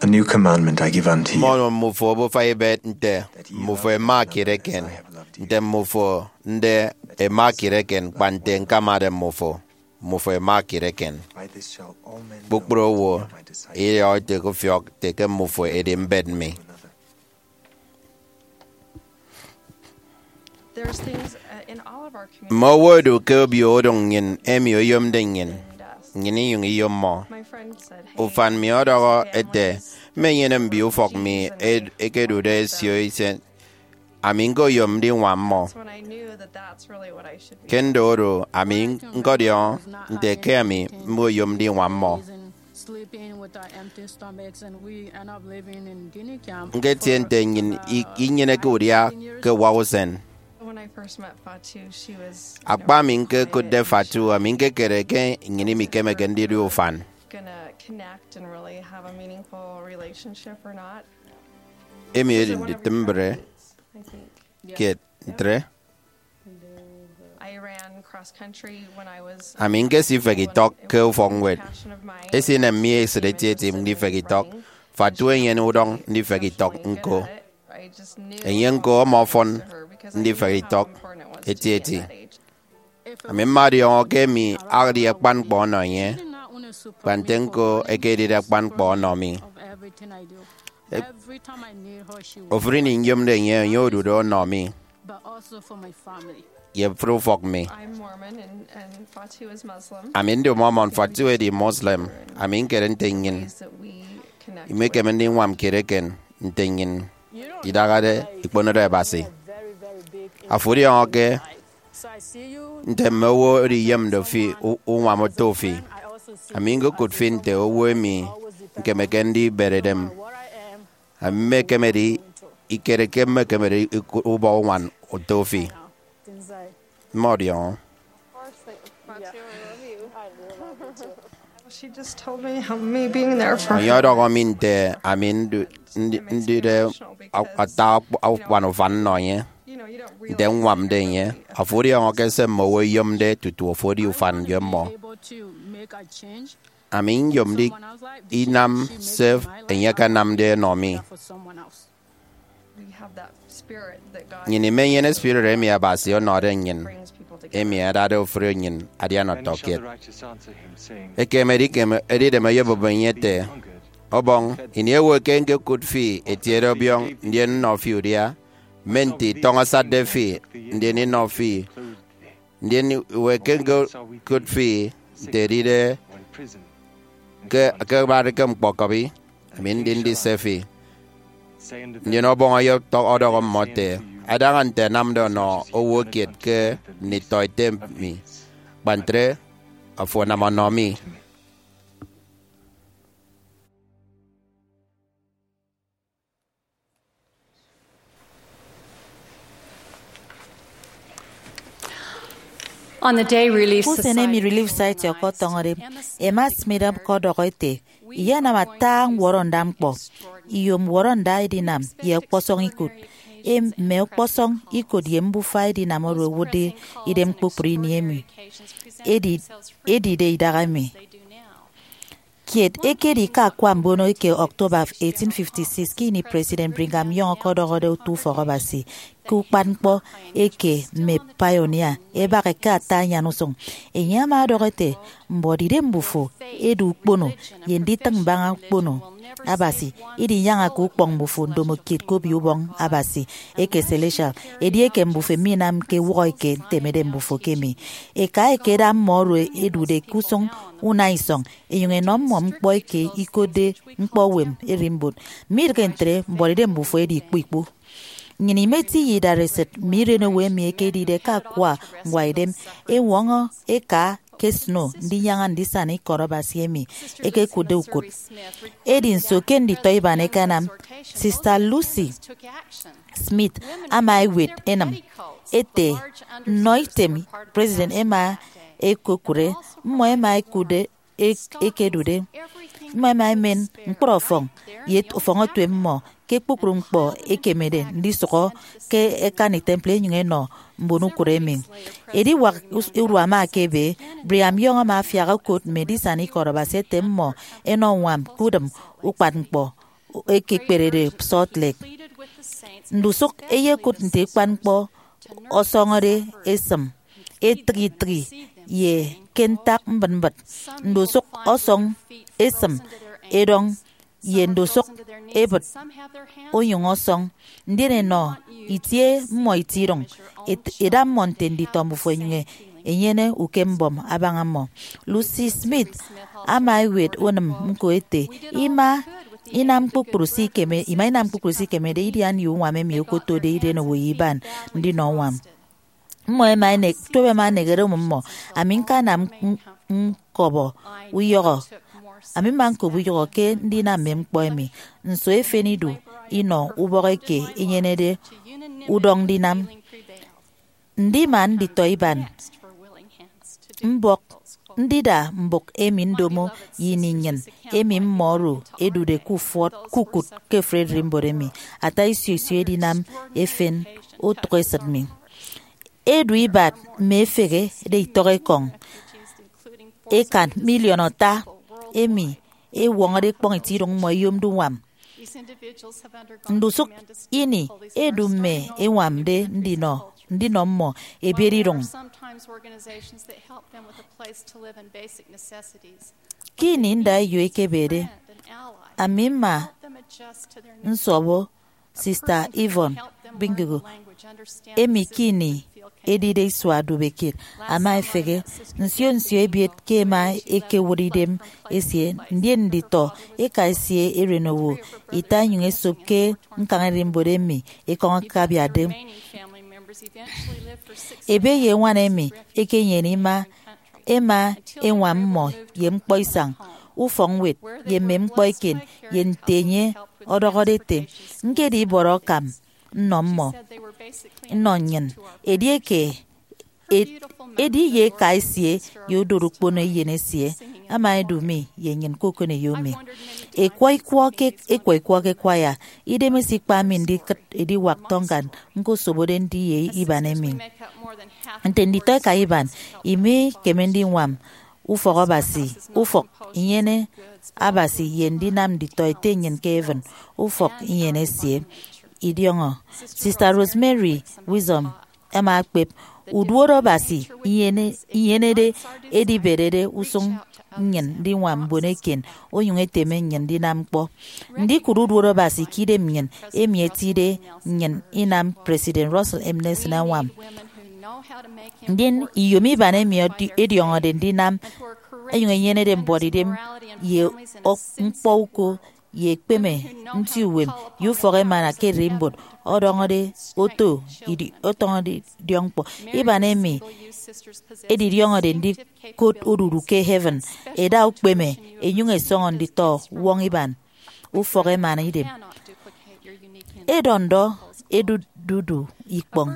A new commandment I give unto you. Mmọnọ mmufo obufa ibet nte mmufo ẹma kiet eken, nte mmufo nde ẹma kiet eken, kpa nte ñkamade mmufo, mmufo ẹma kiet eken. By this shall all men know. Kpukpru owo idiọk ete ke ufiọk ete ke mmufo edi mbet mi. Mme owo ẹdu ke obio udụñ nnyịn emi oyomde nnyịn, nnyịn inyụñ iyom mmọ. Ufan mi ọdọhọ ete, mmenyene mbio ufọk mi ed- ekedude ẹsio isen, ami ñkoyom ndiñwam mmọ. Ke nde oro, ami ñkọdiọñọ nte ke ami mmoyom ndiñwam mmọ. Nketie nte nnyịn i- inyeneke udia ke uwak usen. Akpa ami ñkekụtde Fatu, ami ñkekere ke nnyịn imikemeke ndidu ufan. Emi edi nditịmbre kiet ntre. Ami ñkesi ifehe itọk ke ufọkñwed. Esinem mi esịt etieti ndifehe itọk. Fatu enyene udọñ ndifehe itọk ñko. Enye ñko ọmọfọn ndifehe itọk etieti. Ami mmadiọñọ ke emi edi akpan ñkpọ ọnọ enye, kpa nte ñko ekedide akpan ñkpọ ọnọ mi. Ofụri ini nyomde enye, enye odude ọnọ mi ye ofụri ufọk mi. Ami ndi Mormon, Fatu edi Muslim. Ami ñkere nte nnyịn imekeme ndiñwam kiet eken nte nnyịn idahade ikponode Abasi. Afo ọdiọñọke nte mme owo oro iyemde fi u- uñwam oto fi. Ami ñkokụt fi nte owo emi ñkemeke ndibere idem. Ami mmekemede ikere ke mmekemede ikụt ubọ uñwam oto fi. Mmọdiọñọ. Enye ọdọhọ mi nte ami ndu- ndi- ndide ata akpan ufan nnọ enye, nte ññwamde enye. Afo ọdiọñọke se mme owo ẹyomde tutu afo edi ufan ye mmọ. Ami nyomde inam se enye akanamde ọnọ mi. Nnyịn imenyene spirit emi Abasi ọnọde nnyịn, emi adade ofụri nnyịn adian ọtọkiet. Ekem edikeme edidem oyobụp enye ete, Ọbọñ, ini ewe ke ñkokụt fi etiede ọbiọñ, ndien nnọ fi udia? Mme nte itọñ asatde fi, ndien inọ fi? Ndien iwe ke ñkokụt fi nte edide ke akabade ke ñkpọkọbi, ami ndi ndise fi. Ndien Ọbọñ ọyọtọ- ọdọhọ mmọ ete, Adaña nte ẹnamde ọnọ owo kiet ke nditọete mi, kpa ntre afo anam ọnọ mi. On the day Relief Ke usen emi Relief Society ọkọtọñọde, Emma Smith ọkọdọhọ ete, Iyenam ata ñwọrọnda ñkpọ, iyom ñwọrọnda edinam ye ọkpọsọñ ikụt. Em, mme ọkpọsọñ ikụt ye mbufa edinam oro ẹwụtde idem kpukpru ini emi edi- edide idahaemi. Kiet ekedi ke akwa mbono eke October eighteen fifty-six, ke ini President Brigham Young ọkọdọhọde otu ufọk Abasi ke ukpat ñkpọ eke mme pioneer ẹbaha ke ata anyan usụñ. Enye ama ọdọhọ ete, Mbuọtidem mbufo edu ukpono ye nditịñ mbaña ukpono. Abasi idinyañake ukpọñ mbufo ndomokiet ke Obio Ubọñ Abasi eke celestial, edieke mbufo minamke ewụhọ eke ntemede mbufo kemi. Eka ẹkeda mmọ oro ẹdude ke usụñ unaisọñ, ẹnyụñ ẹnọ mmọ ñkpọ eke ikotde ñkpọ uwem ererimbot. Midịghe ntre, mbuọtidem mbufo edi ikpu ikpu. Nnyịn imeti ye idareset mme irenowo emi ẹkedide ke akwa ñwaidem ẹwọñọ eka ke snow ndinyaña ndisana ikọt Abasi emi ẹkekụtde ukụt. Edi nso ke nditọ iban ẹkanam? Sister Lucy Smith ama ewet enịm ete, nnọ item President ẹma ẹkokụre, mmọ ẹma ẹkụtde ek- ẹkedude. Mmọ ẹma ẹmen ñkpọrọ ọfọñ ye ọfọñ otuem mmọ ke kpukpru ñkpọ ẹkemede ndisụhọ ke ẹkani temple ẹnyụñ ẹnọ mbon ukụt emi. Ediwak us- urua ama ekebe, Brigham Young ama afiak okot mme edisana ikọt Abasi ete mmọ ẹnọ uñwam ke udịm ukpatñkpọ ekekperede Salt Lake. Ndusụk ẹyekụt nte ukpatñkpọ ọsọñọde esịm etịghi etịghi ye ke ntak mbịtmbịt. Ndusụk ọsọñ esịm edọñ ye ndusụk ebịt onyụñ ọsọñ, ndien ẹnọ itie mmọ itiedụñ, et- ẹda mmọ nte nditọ mbufo ẹnyụñ ẹnyene ukembọm abaña mmọ. Lucy Smith ama ewet unịm ñko ete, ima inam kpukpru se ikeme- ima inam kpukpru se ikemede idian ye uñwam emi okotode irenowo ye iban ndinọ uñwam. Mmọ ẹma ẹnek- tuep ẹma ẹneghere mmọ. Ami ñkanam n- ñkọbọ uyọhọ. Ami mma ñkop uyọhọ ke ndinam mme ñkpọ emi. Nso efen idu inọ ubọk eke enyenede udọñ ndinam? Ndima nditọ iban mbọk ndida mbụk emi ndomo ye ini nnyịn emi mmọ oro ẹdude ke ufọt ke ukụt ke Frederick mbot emi ata isio isio edinam efen utụk esịt mi. Edu ibat mme efehe de itọk ekọñ ekan miliọn ata emi ẹwọñọde ekpọñ itiedụñ mmọ ẹyomde uñwam. Ndusụk ini edu mme ẹñwamde ndinọ ndinọ mmọ ebiet idụñ. Ke ini ndaeyo ekebede, ami mma nsọbọ Sista Yvonne Bingogo, emi ke ini edide isua dubekiet ama efehe. Nsio nsio ebiet ke ẹma ẹkewụt idem esie, ndien nditọ eka esie erenowo ita inyụñ esop ke ñkañ ererimbot emi ekọñ akabiatde. Ebe ye eñwan emi ẹkenyene ima ẹma ẹñwam mmọ ye ñkpọ isañ, ufọkñwed, ye mme ñkpọ eken, ye nte enye ọdọhọde ete, ñkedi ibọrọ akam nnọ mmọ, nnọ nnyịn. Edieke e- edi ye eka esie ye odot ukpono eyen esie ama edu mi ye nnyịn ke okoneyo mi. Ekwọ ikwọ ke ekwọ ikwọ ke kwaya, idemesie ikpa mi ndikịt ediwak Tongan ñkosobode ndi ye iban emi. Nte nditọ eka iban, imikeme ndiñwam ufọk Abasi, ufọk inyene Abasi ye ndinam nditọ Ete nnyịn ke heaven ufọk inyene esie. Idiọñọ Sista Rosemary Wisdom ama ekpep, uduot Abasi inyene- inyenede ediberede usụñ nnyịn ndiñwam mbon eken, onyụñ eteme nnyịn ndinam ñkpọ. Ndikụt uduot Abasi ke idem nnyịn, emi etide nnyịn inam President Russell M. Nelson añwam. Ndien iyom iban emi edi- ediọñọde ndinam, ẹnyụñ ẹnyenede mbuọtidem ye ñkpọ uko ye ekpeme nti uwem ye ufọk emana ke ererimbot ọdọñọde oto idi- ọtọñọde idiọkñkpọ. Iban emi edidiọñọde ndikot odudu ke heaven ẹda ukpeme ẹnyụñ ẹsọñọ nditọ uwọñ iban ufọk emana idem. Edọ ndọ edududu ikpọñ.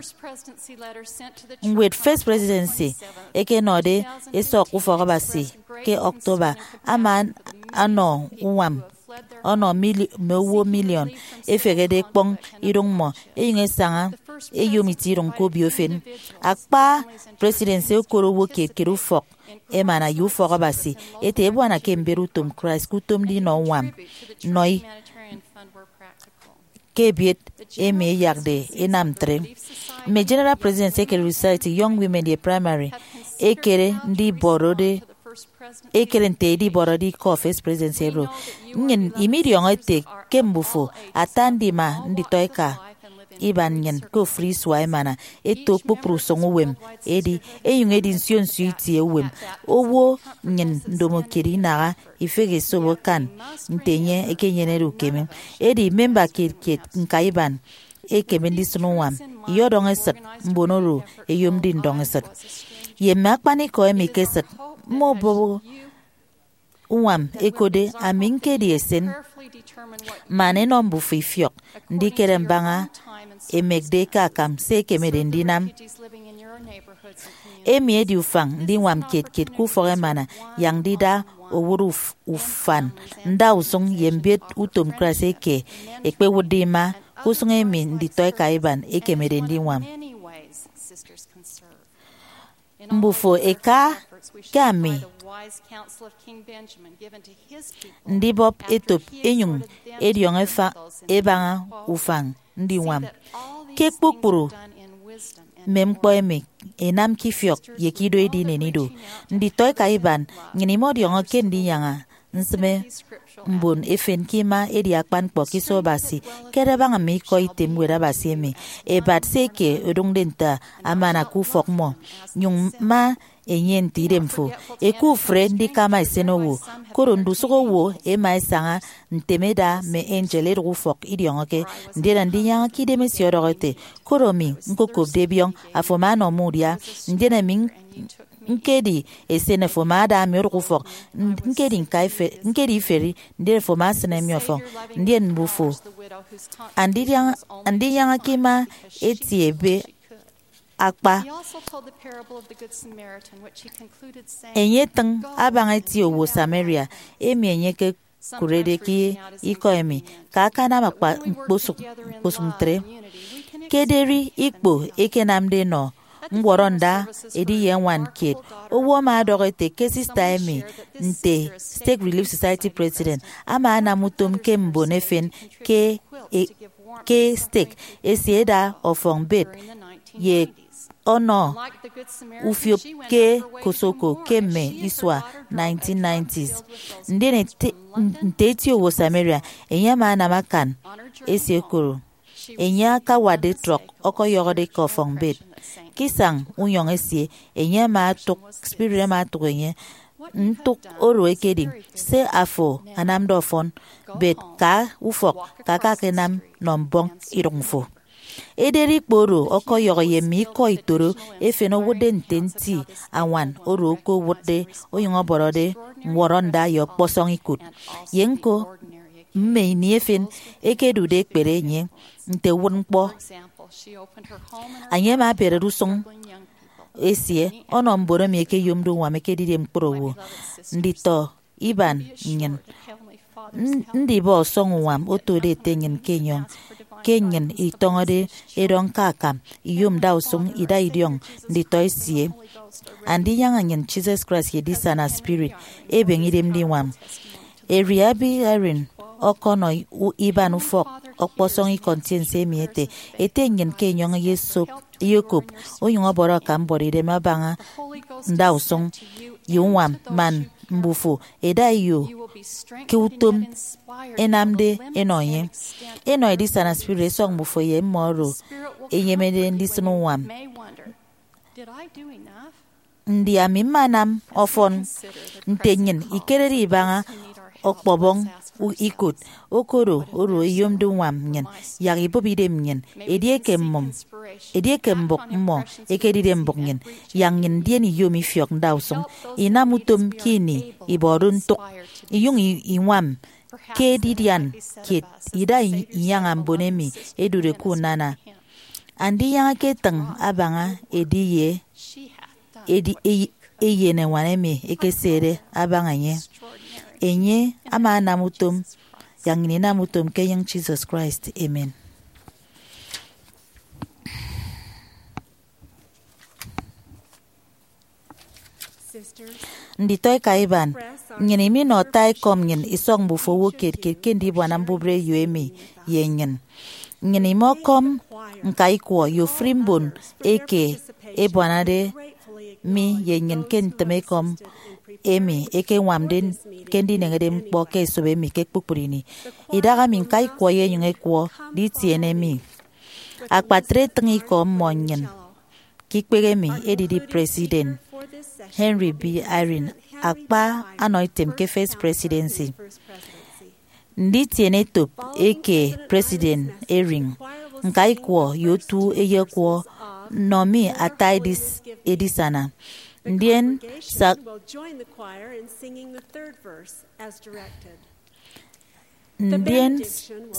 Ñwed First Presidency eke ẹnọde ẹsọk ufọk Abasi ke October ama anọ uñwam ọnọ mili- mme owo miliọn efehede ekpọñ idụñ mmọ, ẹnyụñ ẹsaña ẹyom itiedụñ ke obio efen. Akpa presidency okot owo kiet kiet ufọk emana ye ufọk Abasi ete ebuana ke mbet utom Christ ke utom ndinọ uñwam nnọi ke ebiet emi ẹyakde ẹnam ntre. Mme General President eke Relief Society, Young Women, ye Primary ẹkere ndibọrọde ekere nte edibọrọde ikọ First Presidency oro. Nnyịn imidiọñọ ete ke mbufo ata ndima nditọeka iban nnyịn ke ofụri isua emana eto kpukpru usụñ uwem, edi enyụñ edi nsio nsio itie uwem. Owo nnyịn ndomokiet inaha ifehe esobo akan nte enye ekenyenede ukeme. Edi memba kiet kiet ñka iban ekeme ndisịn uñwam iyọdọñ esịt mbon oro ẹyomde ndọñ esịt. Ye mme akpanikọ emi ke esịt, mme obụbọ uñwam ẹkotde ami ñkedi esen man ẹnọ mbufo ifiọk ndikere mbaña emekde ke akam se ẹkemede ndinam. Emi edi ufañ ndiñwam kiet kiet ke ufọk emana, yak ndida owụt uf- ufan ndausụñ ye mbiet utom Christ eke ẹkpewụtde ima ke usụñ emi nditọeka iban ẹkemede ndiñwam. Mbufo ẹka ke ami ndibọp etop enyụñ ẹdiọñọ efa- ẹbaña ufañ ndiñwam ke kpukpru mme ñkpọ emi ẹnam ke ifiọk ye ke ido edi inenido. Nditọeka iban, nnyịn imọdiọñọ ke ndinyaña nsịme mbon efen ke ima edi akpan ñkpọ ke iso Abasi. Kere abaña mme ikọ item Ñwed Abasi emi, ebat se eke odụñde nte amana ke ufọk mmọ, nyụñ ma enye nte idemfo. Eke ufre ndikama esenowo, koro ndusụk owo ẹma ẹsaña ntem ẹda mme angel ẹdụk ufọk idiọñọke. Ndien Andinyaña ke Idemesie ọdọhọ ete, koro mi ñkokopde biọñ, afo ama anọ mi udia, ndien ami ñkedi esen, afo ama ada mi odụk ufọk, ñkedi ñka ife- ñkedi iferi, ndien afo ama asịne mi ọfọñ. Ndien mbufo, Andinyaña- Andinyaña ke ima etie ebe akpa. Enye etịñ abaña eti owo Samaria emi enye ekekụrede ke ikọ emi, ka akanam akpa ñkposụk ñkposụk ntre. Ke ederi ikpo ekenamde enọ ñwọrọnda ediye ñwan kiet, owo ama ọdọhọ ete ke sista emi, nte Stake Relief Society president, ama anam utom ke mbon efen ke e- ke stake esie ẹda ọfọñ bed ye ọnọ ufiop ke Kosoko ke mme isua nineteen nineties. Ndien ete- nte eti owo Samaria, enye ama anam akan esie koro enye akawatde trọk ọkọyọhọde ke ọfọñ bed. Ke isañ unyọñ esie, enye ama otụk, spirit ama otụk enye, ntụk oro ekedi se afo anamde ọfọn, bed ka ufọk, ka akakanam nọ mbọñ idụk fo. Ederi ikpo oro ọkọyọhọ ye mme ikọ itoro efen owụtde nte nti añwan oro okowụtde onyụñ ọbọrọde ñwọrọnda ye ọkpọsọñ ikụt. Ye ñko, mme ini efen ekedude ekpere enye nte uwụtñkpọ. Enye ama abiarade usụñ esie ọnọ mbon emi ẹkeyomde uñwam ẹkedide ñkpọr owo. Nditọ iban nnyịn, n- ndibọ ọsọñ uñwam otode Ete nnyịn ke enyọñ, ke nnyịn itọñọde edọñ ke akam, iyom ndausụñ ida idiọñ nditọ esie. Andinyaña nnyịn Jesus Christ ye edisana spirit ebeñe idem ndiñwam. Eri Abi Irene ọkọnọ u- iban ufọk ọkpọsọñ ikọ ntiense emi ete, Ete nnyịn ke enyọñ eyesop eyekop, onyụñ ọbọrọ akam mbuọtidem abaña ndausụñ ye uñwam, man mbufo ẹda eyo ke utom ẹnamde ẹnọ enye. Ẹnọ edisana spirit ẹsọk mbufo ye mmọ oro ẹnyemede ndisịn uñwam. Ndi ami mmanam ọfọn nte nnyịn ikerede ibaña ọkpọbọñ u- ikot? Okodo oro eyomde uñwam nnyịn, yak ibụp idem nnyịn. Edieke mmụm, edieke mbụk mmọ ekedide mbụk nnyịn, yak nnyịn ndien iyom ifiọk ndausụñ, inam utom ke ini ibọde ntụk, inyụñ i- iñwam ke edidian kiet ida i- inyaña mbon emi ẹdude ke unana. Andinyaña eketịñ abaña ediye edi- ey- eyen eñwan emi ekesede abaña enye. Enye ama anam utom, yak nnyịn inam utom ke enyịñ Jesus Christ. Amen. Nditọeka iban, nnyịn iminọ ata ekọm nnyịn isọk mbufo owo kiet kiet ke ndibuana mbubreyo emi ye nnyịn. Nnyịn imọkọm ñka ikwọ ye ofụri mbon eke ẹbuanade mi ye nnyịn ke ntịme ekọm emi ekeñwamde ke ndineñede ñkpọ ke esop emi ke kpukpru ini. Idahaemi ñkaikwọ ye enyịñ ekwọ nditiene mi. Akpatre etịñ ikọ mmọ nnyịn ke ikpehe emi edidi President Henry B. Eyring akpa anọ item ke First Presidency. Nditiene etop eke President Eyring, ñkaikwọ ye otu eyekwọ nnọ mi ata edis-, edisana. Ndien sak-, ndien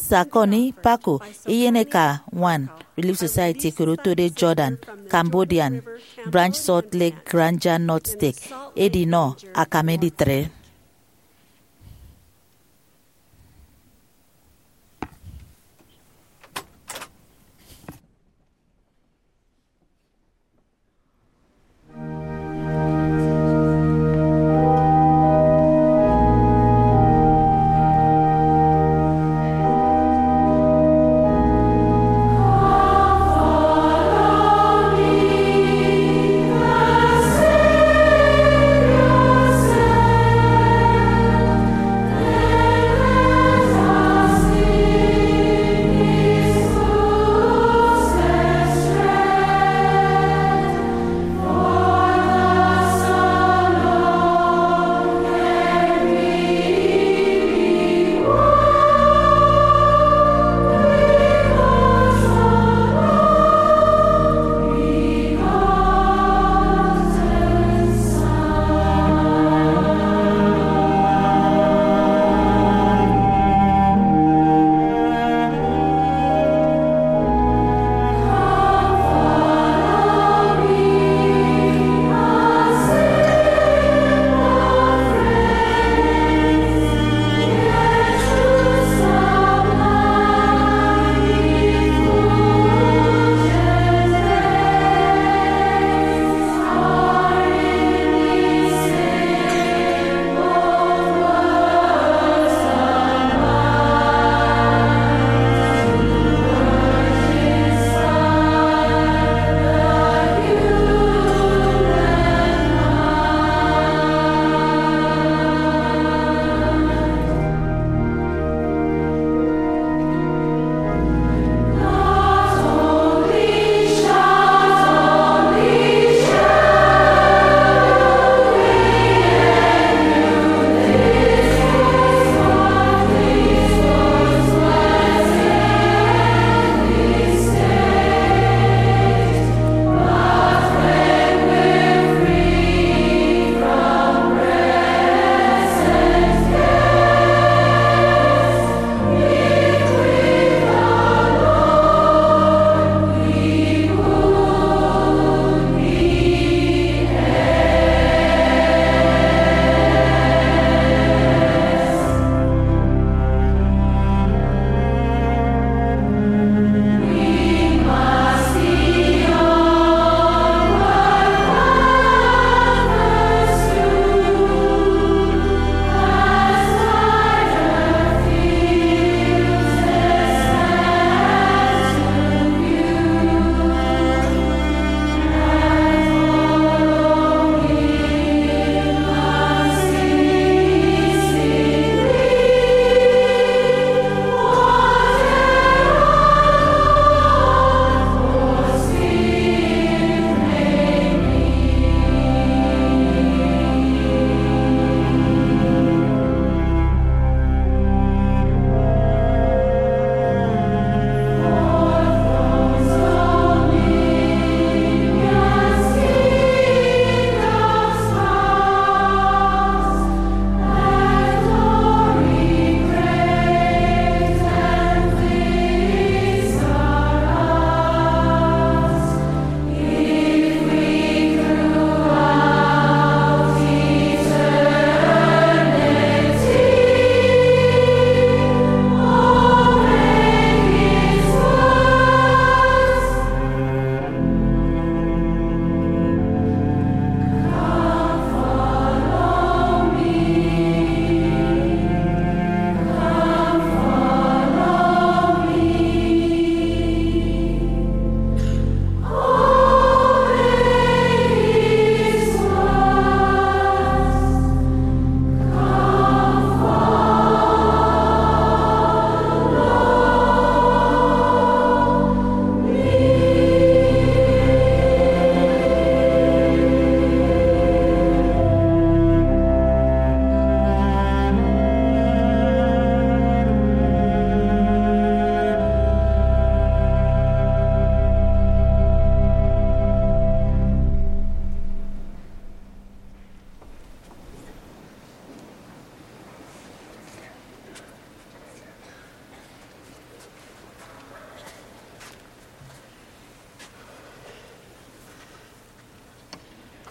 Sakoni Paco, eyeneka ñwan Relief Society eke otode Jordan, Cambodian, Branch Salt Lake Ghanja North Stake, edinọ akam editre.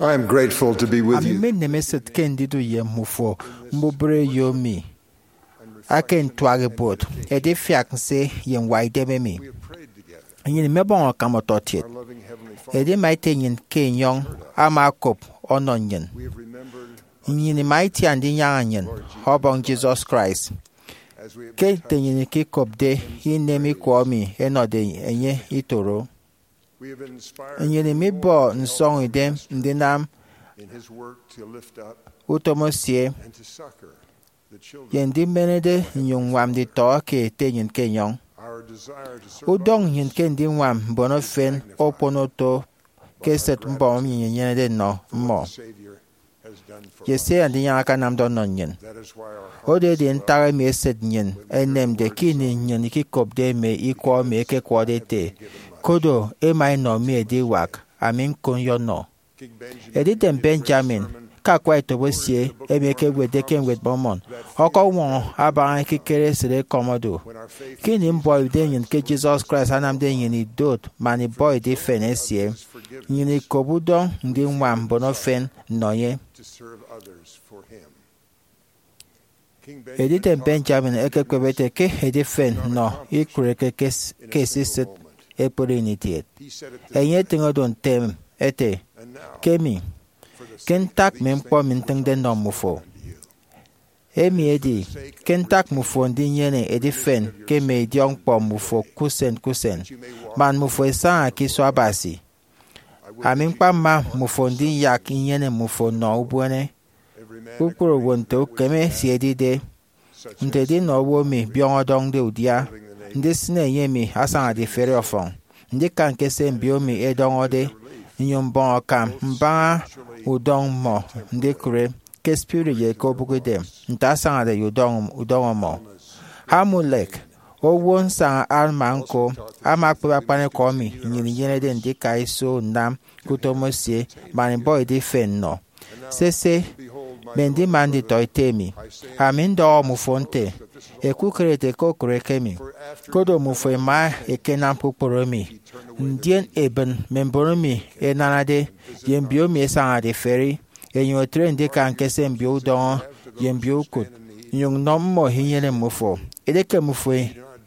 I am grateful to be with Ami you. Mmenem esịt ke ndidu ye mmufo mbubreyo mi ake ntuak ibuot, edifiak nse ye ñwaidem emi. Nnyịn imebọñ akam ọtọkiet, edi Maita enyịn ke enyọñ ama okop ọnọ nnyịn. Nnyịn ima itian ndinyaña nnyịn Ọbọñ Jesus Christ ke nte nnyịn ikikopde inem ikọ emi ẹnọde enye itoro. Nnyịn imibọ nsọñidem ndinam utom esie ye ndimenede nnyụñ ññwam nditọ ke ete nnyịn ke enyọñ. Udọñ nnyịn ke ndiñwam mbon efen okpono oto ke esịt mbọm emi nnyịn inyenede nnọ mmọ ye se Andinyaña akanamde ọnọ nnyịn. Oro edi ntak emi esịt nnyịn enemde ke ini nnyịn ikikopde mme ikọ emi ẹkekwọde ẹte, "Kodo, ẹma ẹnọ mi ediwak, ami ñko nyọnọ." Edidem Benjamin, ke akwa etop esie emi ekewetde ke Ñwed Mormon, ọkọñwọñọ abaña ekikere esịt ekọm odu. Ke ini mbọhọidem nnyịn ke Jesus Christ anamde nnyịn idot man ibọ idifen esie, nnyịn ikop udọñ ndiñwam mbon efen nnọ enye. Edidem Benjamin ekekpep ete ke edifen nnọ ikụreke ke s-, ke esisịt ekpri ini kiet. Enye etịñ odu ntem ete, "Ke mi, ke ntak mme ñkpọ emi ntịñde nnọ mmufo, emi edi, ke ntak mmufo ndinyene edifen ke mme idiọkñkpọ mmufo ke usen ke usen, man mmufo ẹsaña ke iso Abasi. Ami ñkpamma mmufo ndiyak inyene mmufo nnọ ubuene, kpukpru owo nte ukeme esie edide, nte edinọ owo emi biọñ ọdọñde udia, ndisịne enye emi asañade iferi ọfọñ, ndika ñke se mbio mi ẹdọñọde, nnyụñ mbọñ akam mbaña udọñ mmọ, ndikụre ke spirit ye ke obụkidem, nte asañade ye udọñ, udọñ ọmọ." Amulek, owo nsaña Alma ñko, ama okpep akpanikọ emi nnyịn inyenede ndika iso nnam ke utom esie man ibọ idifen nnọ. Sese, mme ndima nditọete mi, ami ndọhọ mmufo nte, ẹkukere ete ke okụre ke mi. Kodo mmufo ẹma ẹkenam kpukpru emi, ndien ẹbịn mme mbon emi ẹnanade ye mbio emi ẹsañade iferi, ẹnyụñ ẹtre ndika ñke se mbio udọñọ ye mbio ukụt, nnyụñ nnọ mmọ inyene mmufo. Edieke mmufo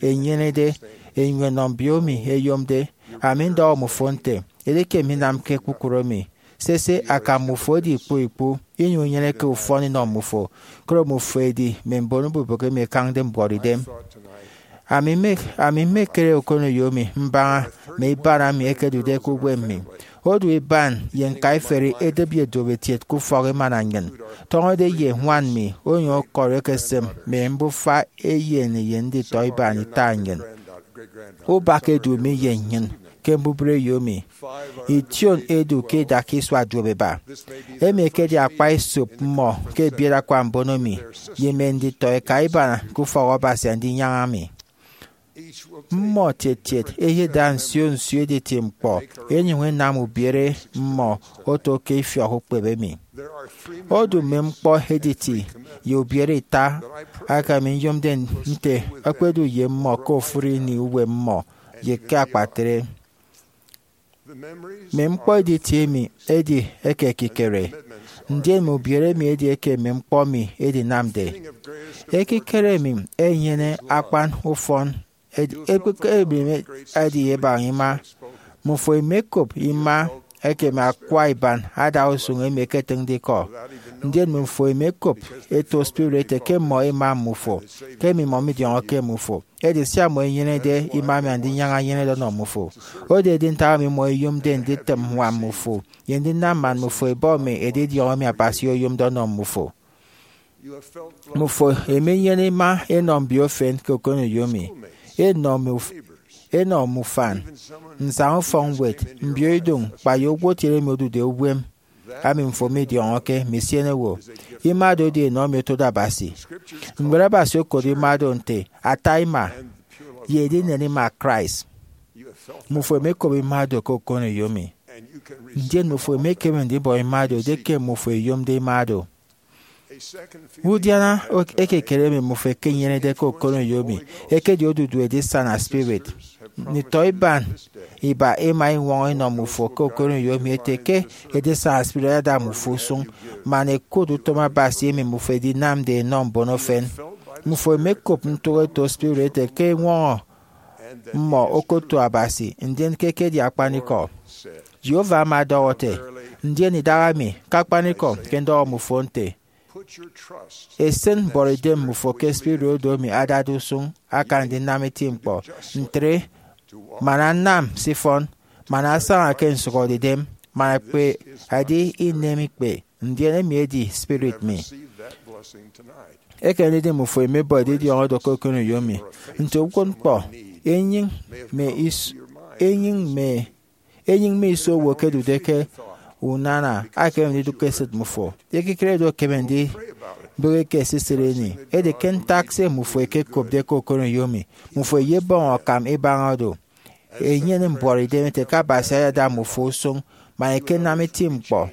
ẹnyenede ẹnyụñ ẹnọ mbio emi ẹyomde, ami ndọhọ mmufo nte, edieke minamke kpukpru emi, sese, akam mmufo edi ikpu ikpu, inyụñ inyeneke ufọn inọ mmufo, koro mmufo ẹdi mme mbon ubụbụk emi ẹkañde mbuọtidem. Ami mme, ami mmekere okoneyo mi mbaña mme iban emi ẹkedude ke uwem mi. Odu iban ye ñkaiferi edịp ye duopetiet ke ufọk emana nnyịn, tọñọde ye ñwan mi onyụñ ọkọri ekesịm mme mbufa eyen eyen nditọ iban ita nnyịn. Ubak edu mi ye nnyịn ke mbubreyo mi. Ition edu ke idak isua duop iba. Emi ekedi akpa esop mmọ ke ebiet akwa mbon emi ye mme nditọ eka iban ke ufọk Abasi Andinyaña mi. Mmọ tiet tiet ẹyeda nsio nsio editi ñkpọ, ẹnyụñ ẹnam ubiere mmọ oto ke ifiọk ukpep emi. Odu mme ñkpọ editi ye ubiere ita aka mi nyomde nte ẹkpedu ye mmọ ke ofụri ini uwem mmọ ye ke akpatre. Mme ñkpọ editi emi edi eke ekikere, ndien mme ubiere emi edi eke mme ñkpọ mi edinamde. Ekikere emi enyene akpan ufọn edi, ekpekere emi edi ebaña ima. Mmufo imekop ima eke mme akwa iban adausụñ emi ẹketịñde ikọ. Ndien mmufo imekop eto spirit ete ke mmọ ẹma mmufo, ke mmimọ midiọñọke mmufo. Edi sia mmọ inyenede ima emi Andinyaña enyenede ọnọ mmufo. Oro edi ntak emi mmọ ẹyomde nditịm ñwan mmufo ye ndinam man mmufo ẹbọ mme edidiọñ emi Abasi oyomde ọnọ mmufo. Mmufo ẹmenyene ima ẹnọ mbio efen ke okoneyo mi, ẹnọ mme uf-, ẹnọ mme ufan, nsaña ufọkñwed, mbio idụñ, kpa ye owo kiet emi odude uwem. Ami mmufo midiọñọke, mme isienewo. Ima do edi enọ emi otode Abasi. Ñwed Abasi okodo ima do nte ata ima ye edinen ima Christ. Mmufo imekop ima do ke okoneyo mi, ndien mmufo imekeme ndibọ ima do edieke mmufo iyomde ima do. Udiana ekikere emi mmufo ẹkenyenede ke okoneyo mi ekedi odudu edisana spirit. Nditọ iban iba ẹma ẹñwọñọ ẹnọ mmufo ke okoneyo emi ẹte ke edisaña spirit ayada mmufo usụñ, man ẹkụt utom Abasi emi mmufo ẹdinamde ẹnọ mbon efen. Mmufo ẹmekop ntụk eto spirit ete ke eñwọñọ mmọ okoto Abasi, ndien ke ekedi akpanikọ. Jehovah ama ọdọhọ ete, ndien idahaemi ke akpanikọ ke ndọhọ mmufo nte, esịn mbuọtidem mmufo ke spirit oro emi adade usụñ akan ndinam eti ñkpọ. Ntre, man anam se ifọn, man asaña ke nsụhọdeidem, man akpe edi inem ikpe, ndien emi edi spirit mi. Ekeme ndidi mmufo ẹmebọ edidiọñ oro ke okoneyo emi. Nte uwụtñkpọ, enyịñ mme is- enyịñ mme enyịñ mme iso owo ẹkedude ke unana ekeme ndidụk ke esịt mmufo. Ekikere do ekeme ndibịghike esisịt ini. Edi ke ntak se mmufo ẹkekopde ke okoneyo emi, mmufo ẹyebọñ akam ibaña do, ẹnyene mbuọtidem ete ke Abasi ayada mmufo usụñ man ẹkenam eti ñkpọ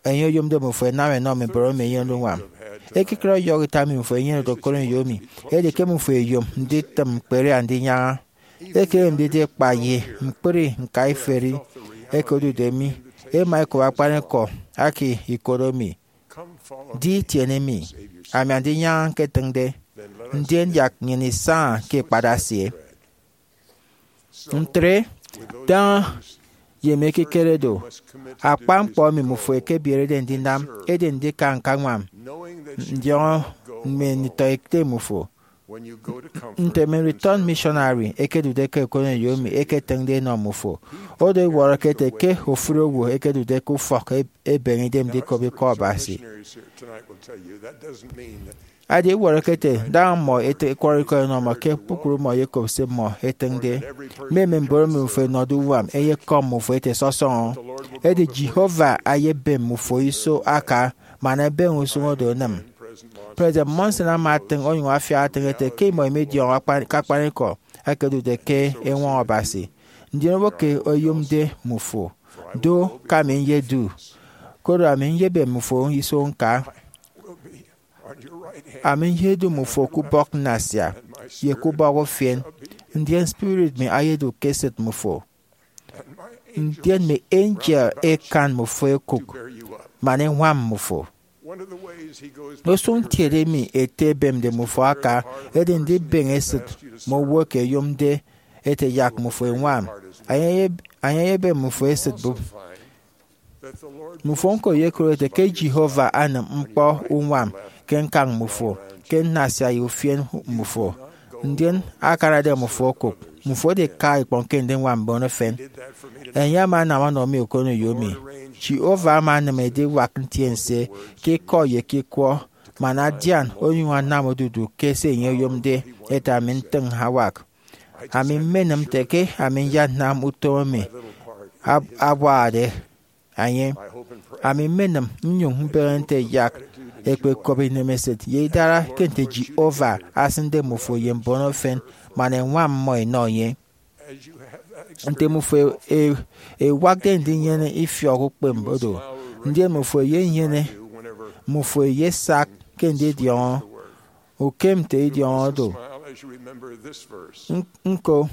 enye oyomde mmufo ẹnam ẹnọ mme mbon emi ẹnyenede uñwam. Ekikere ọyọhọ ita emi mmufo ẹnyenede okoneyo emi edi ke mmufo ẹyom nditịm ñkpere Andinyaña. Ekeme ndidi kpa ye ñkpri ñkaiferi ẹkedude mi, ẹma ẹkop akpanikọ aka ikot emi, Di, tiene mi, ami Andinyaña ñketịñde, ndien yak nnyịn isaña ke ikpat asie. Ntre, daña ye mme ekikere do, akpan ñkpọ emi mmufo ẹkebierede ndinam edi ndika ñkañwam ndiọñọ mme nditọete mmufo. Nte mme nditọ missionary ẹkedude ke okoneyo emi ẹketịñde ẹnọ mmufo, odu iwọrọke ete ke ofụri owo ẹkedude ke ufọk e- ebeñe idem ndikop ikọ Abasi. Edi iwọrọke ete daña mmọ ẹkwọrọ ikọ ẹnọ mmọ ke kpukpru mmọ ẹyekop se mmọ ẹtịñde. Mme mme mbon emi mmufo ẹnọde uñwam ẹyekọm mmufo ẹte sọsọñọ. Edi Jehovah ayebem mmufo iso aka man ebeñe usụñ oro enịm. President Monson ama atịñ onyụñ afiak atịñ ete ke imọ imidiọñọ akpan- ke akpanikọ ẹkedude ke eñwọñọ Abasi, ndien owo ke oyomde mmufo. Do, ke ami nyedu, koro ami nyebem mmufo iso ñka. Ami nyedu mmufo ke ubọk nnasia ye ke ubọk ufien, ndien spirit mi ayedu ke esịt mmufo, ndien mme angel ẹkan mmufo ẹkụk man ẹñwam mmufo. Usụñ ntiede emi ete ebemde mmufo aka edi ndibeñe esịt mme owo eke ẹyomde ete yak mmufo ẹñwam. Enye eyebem mmufo esịt bụp. Mmufo ñko ẹyekụt ete ke Jehovah anam ñkpọ uñwam ke ñkañ mmufo, ke nnasia ye ufien mmufo, ndien akanade mmufo okụk. Mmufo ẹdika ikpọñ ke ndiñwam mbon efen. Enye ama anam ọnọ mi okoneyo mi. Jehovah ama anam ediwak ntiense ke ikọ ye ke ikwọ, man adian onyụñ anam odudu ke se enye oyomde ete ami ntịñ awak. Ami mmenịm nte ke ami nyanam utom emi ab- abuahade enye. Ami mmenịm nnyụñ mbeñe nte yak ẹkpekop inemesịt ye idara ke nte Jehovah asịnde mmufo ye mbon efen man ẹñwam mmọ ẹnọ enye. Nte mmufo e- ewakde ndinyene ifiọk ukpeme do, ndien mmufo eyenyene, mmufo eyesak ke ndidiọñọ ukem nte idiọñọ do. Ñko,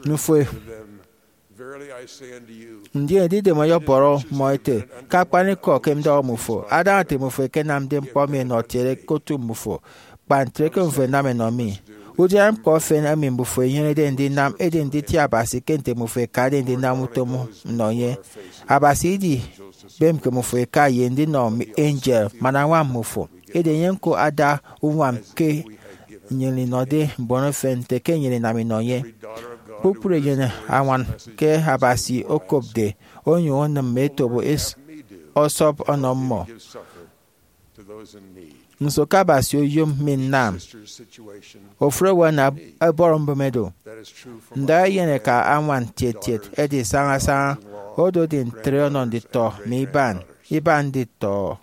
mmufo, ndien edidem ọyọbọrọ mmọ ete, ke akpanikọ ke ndọhọ mmufo, adaña nte mmufo ẹkenamde ñkpọ emi ẹnọ kiet ke otu mmufo, kpa ntre ke mmufo ẹnam ẹnọ mi. Udiana ñkpọ efen emi mmufo ẹnyenede ndinam edi nditie Abasi ke nte mmufo ẹkade ndinam utom nnọ enye. Abasi idibemke mmufo ẹka ye ndinọ mme angel man añwam mmufo. Edi enye ñko ada uñwam ke nnyịn inọde mbon efen nte ke nnyịn inam inọ enye. Kpukpru enyene añwan ke Abasi okopde onyụñ onịm mme etobo es- ọsọp ọnọ mmọ. Nso ke Abasi oyom mi nnam? Ofụri owo ana ẹbọrọ mbụme do. Nda eyen eka añwan tiet tiet edi saña saña. Odu edi ntre ọnọ nditọ mi iban, iban nditọ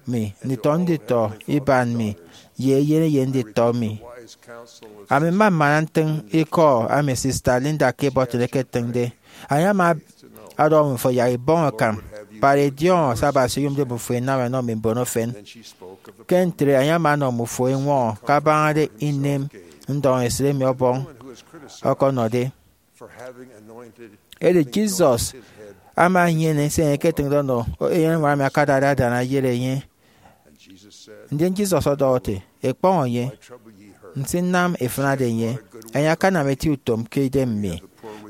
mi, nditọ nditọ iban mi, ye eyen eyen nditọ mi. Ami mma mmana ntịñ ikọ emi Sista Linda K. Burton eketịñde. Enye ama ọdọhọ mmufo yak ibọñ akam kpa edidiọñọ se Abasi oyomde mmufo inam ẹnọ mme mbon efen. Ke ntre, enye ama ọnọ mmufo eñwọñọ kabañade inem ndọñesịt emi Ọbọñ ọkọnọde. Edi Jesus ama enyene se enye eketịñde ọnọ eyenñwed emi akadade adana eyet enye. Ndien Jesus ọdọhọ ete, Ekpọñọ enye, nsinam ifịnade enye. Enye akanam eti utom ke idem mi.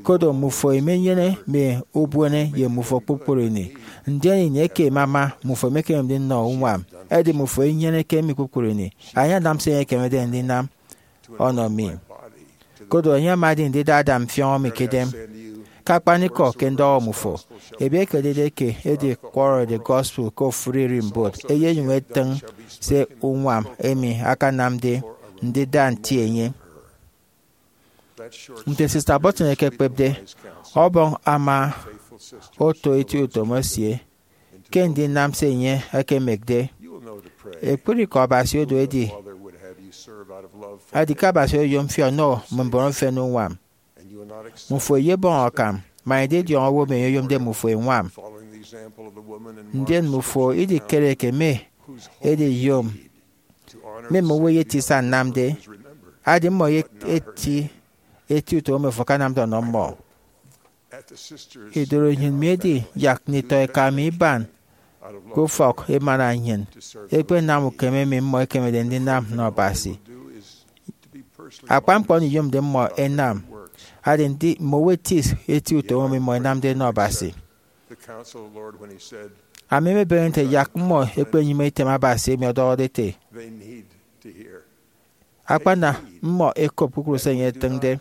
Koro mmufo imenyene mme ubuene ye mmufo kpukpru ini, ndien ini eke emama mmufo imekeme ndinyene uñwam. Edi mmufo inyeneke mi kpukpru ini. Enye anam se enye ekemede ndinam ọnọ mi. Koro enye amadi ndida ada mfiọñọ mi ke idem. Ke akpanikọ ke ndọhọ mmufo, ebi ekedide ke edi ẹkwọrọde gospel ke ofụri ererimbot eyenyụñ etịñ se uñwam emi akanamde ndida nti enye. Nte Sista Burton ekekpepde, Ọbọñ ama oto eti utom esie ke ndinam se enye ekemekde. Ekpri ke Abasi odu edi, edi ke Abasi oyom fi ọnọ mme mbon efen uñwam. Mmufo iyebọñ akam man ididiọñ owo emi enye oyomde mmufo eñwam. Ndien mmufo idikere ke mme ediyom mme mme owo eye eti isañ nnamde, adi mmọ eti eti utom emi afo akanamde ọnọ mmọ. Idụri nnyịn miedi yak nditọ eka mi iban ke ufọk emana nnyịn, ẹkpenam ukeme emi mmọ ẹkemede ndinam nnọ Abasi. Akpan ñkpọ oro iyomde mmọ ẹnam, adi ndi mme owo eti eti utom emi mmọ ẹnamde nnọ Abasi. Ami mmebeñe nte yak mmọ ẹkpenyịme item Abasi emi ọdọhọde ete, Akpana mmọ ẹkop kpukpru se enye etịñde.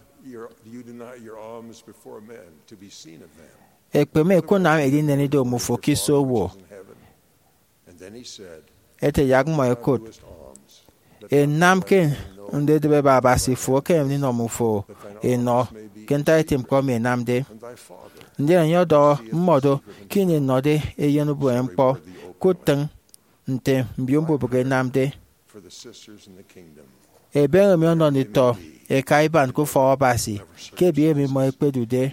Ekpeme ẹkunam edinen ido mmufo ke iso owo. Ete yak mmọ ẹkụt, ẹnam ke ndedịbe ebe Abasi fo ekeme ndinọ mmufo enọ ke ntak eti ñkpọ emi ẹnamde. Ndien enye ọdọhọ mmọ do ke ini ẹnọde eyen ubuene ñkpọ, kutịñ nte mbio mbubịk ẹnamde. Ebeñe mi ọnọ nditọ eka iban ke ufọk Abasi ke ebiet emi mmọ ẹkpedude.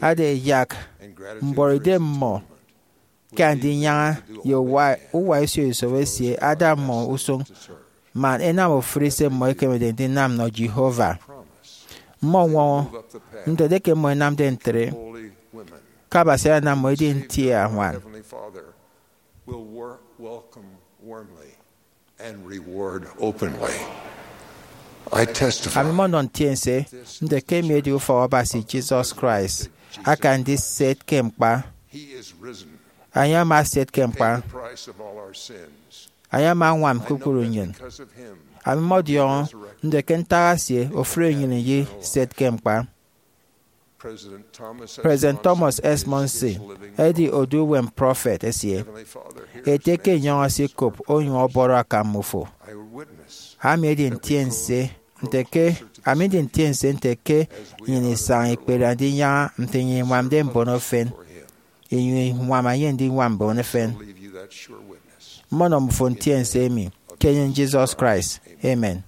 Ada yak mbọrọidem mmọ ke Andinyaña ye uwa, uwa isio isop esie ada mmọ usụñ man ẹnam ofụri se mmọ ẹkemede ndinam nnọ Jehovah. Mmọ ọñwọñọ ntịñde ke mmọ ẹnamde ntre, ke Abasi ayanam mmọ edi nti añwan. Ami mmọnọ ntiense nte ke emi edi ufọk Abasi Jesus Christ aka ndiset ke ñkpa. Enye ama eset ke ñkpa. Enye ama añwam kpukpru nnyịn. Ami mmọdiọñọ nte ke ntak esie ofụri nnyịn iyeset ke ñkpa. President Thomas S. Monson edi odu uwem prọfet esie ete ke enyọñ esikop onyụñ ọbọrọ akam mmufo. Ami edi ntiense nte ke ami ndi ntiense nte ke nnyịn isaña ikpere Andinyaña nte nnyịn iñwamde mbon efen, inyụñ iñwam enye ndiñwam mbon efen. Mmọnọ mmufo ntiense emi ke enyịn Jesus Christ. Amen.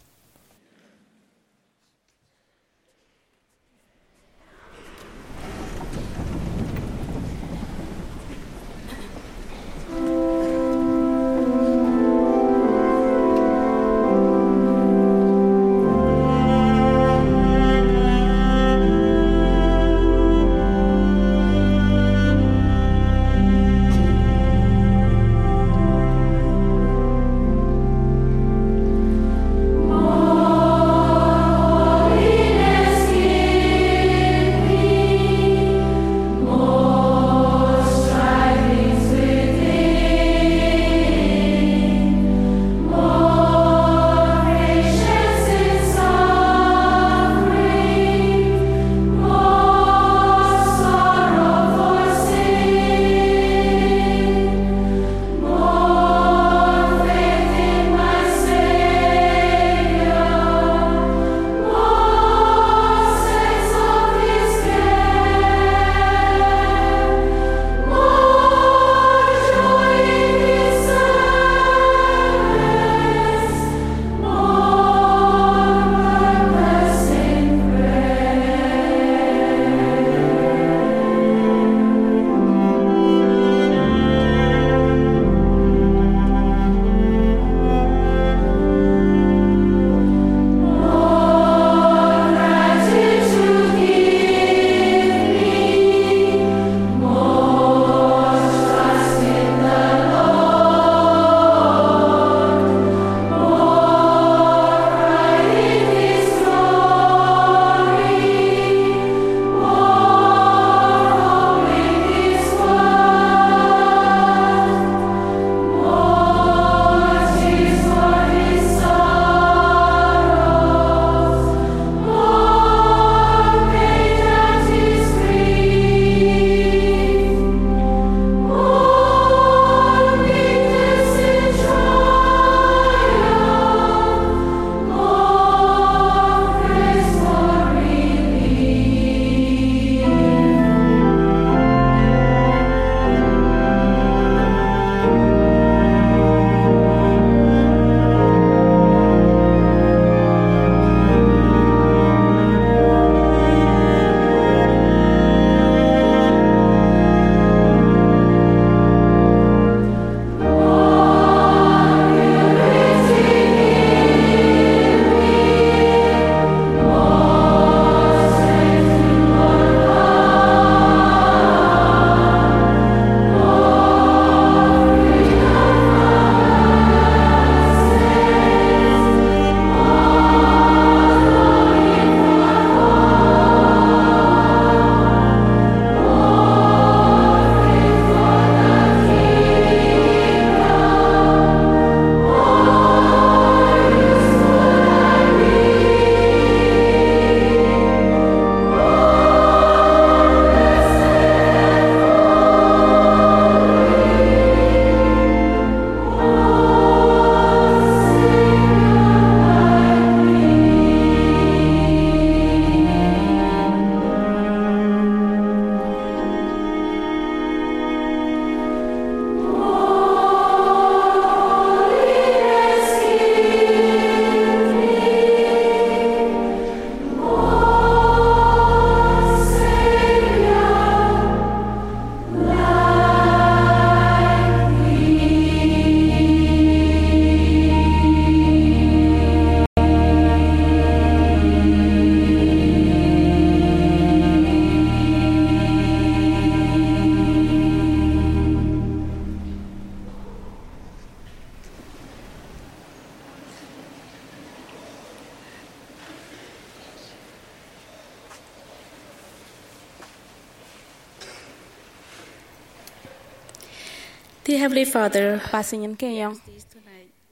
Dear Heavenly Father, Abasi nnyịn ke enyọñ,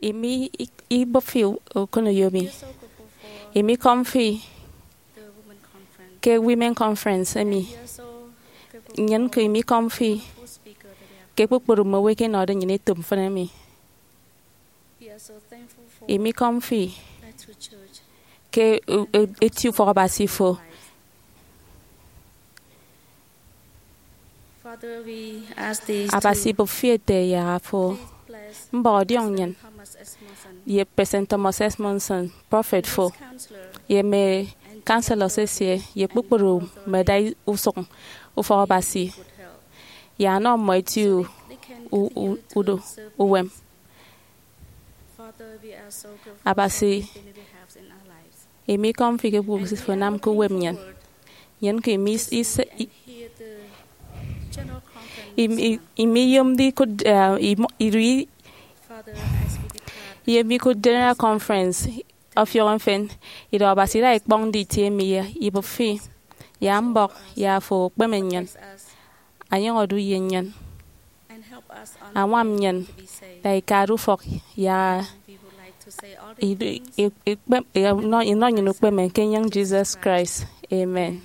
imi ibụp fi okoneyo mi. Imi kọm fi ke Women Conference emi. Nnyịn ke imi kọm fi ke kpukpru mme owo eke ẹnọde nnyịn etop mfịn emi. Imi kọm fi ke eti ufọk Abasi fo. Abasi ibụp fi ete ẹyara fo. Mbọk ọdiọñ nnyịn ye President Thomas S. Monson, prọfet fo, ye mme counselors esie, ye kpukpru mme ẹda usụñ ufọk Abasi, ye anọ mmọ eti u- u- udo uwem. Abasi, imi kọm fi ke kpukpru se fo anam ke uwem nnyịn. Nnyịn ke imi is- is- i- imi- imi iyomde ikụt, eh, imo- iri ye emi ikụt General Conference ọfiọk mfịn. Idọhọ Abasi ida ikpọñ nditie mi ye ibụp fi, ya mbọk ya fo ukpeme nnyịn, anyọñ odu ye nnyịn, añwam nnyịn, da ikade ufọk ya idu- i- ikpem- inọ inọ nnyịn ukpeme ke enyịñ Jesus Christ. Amen.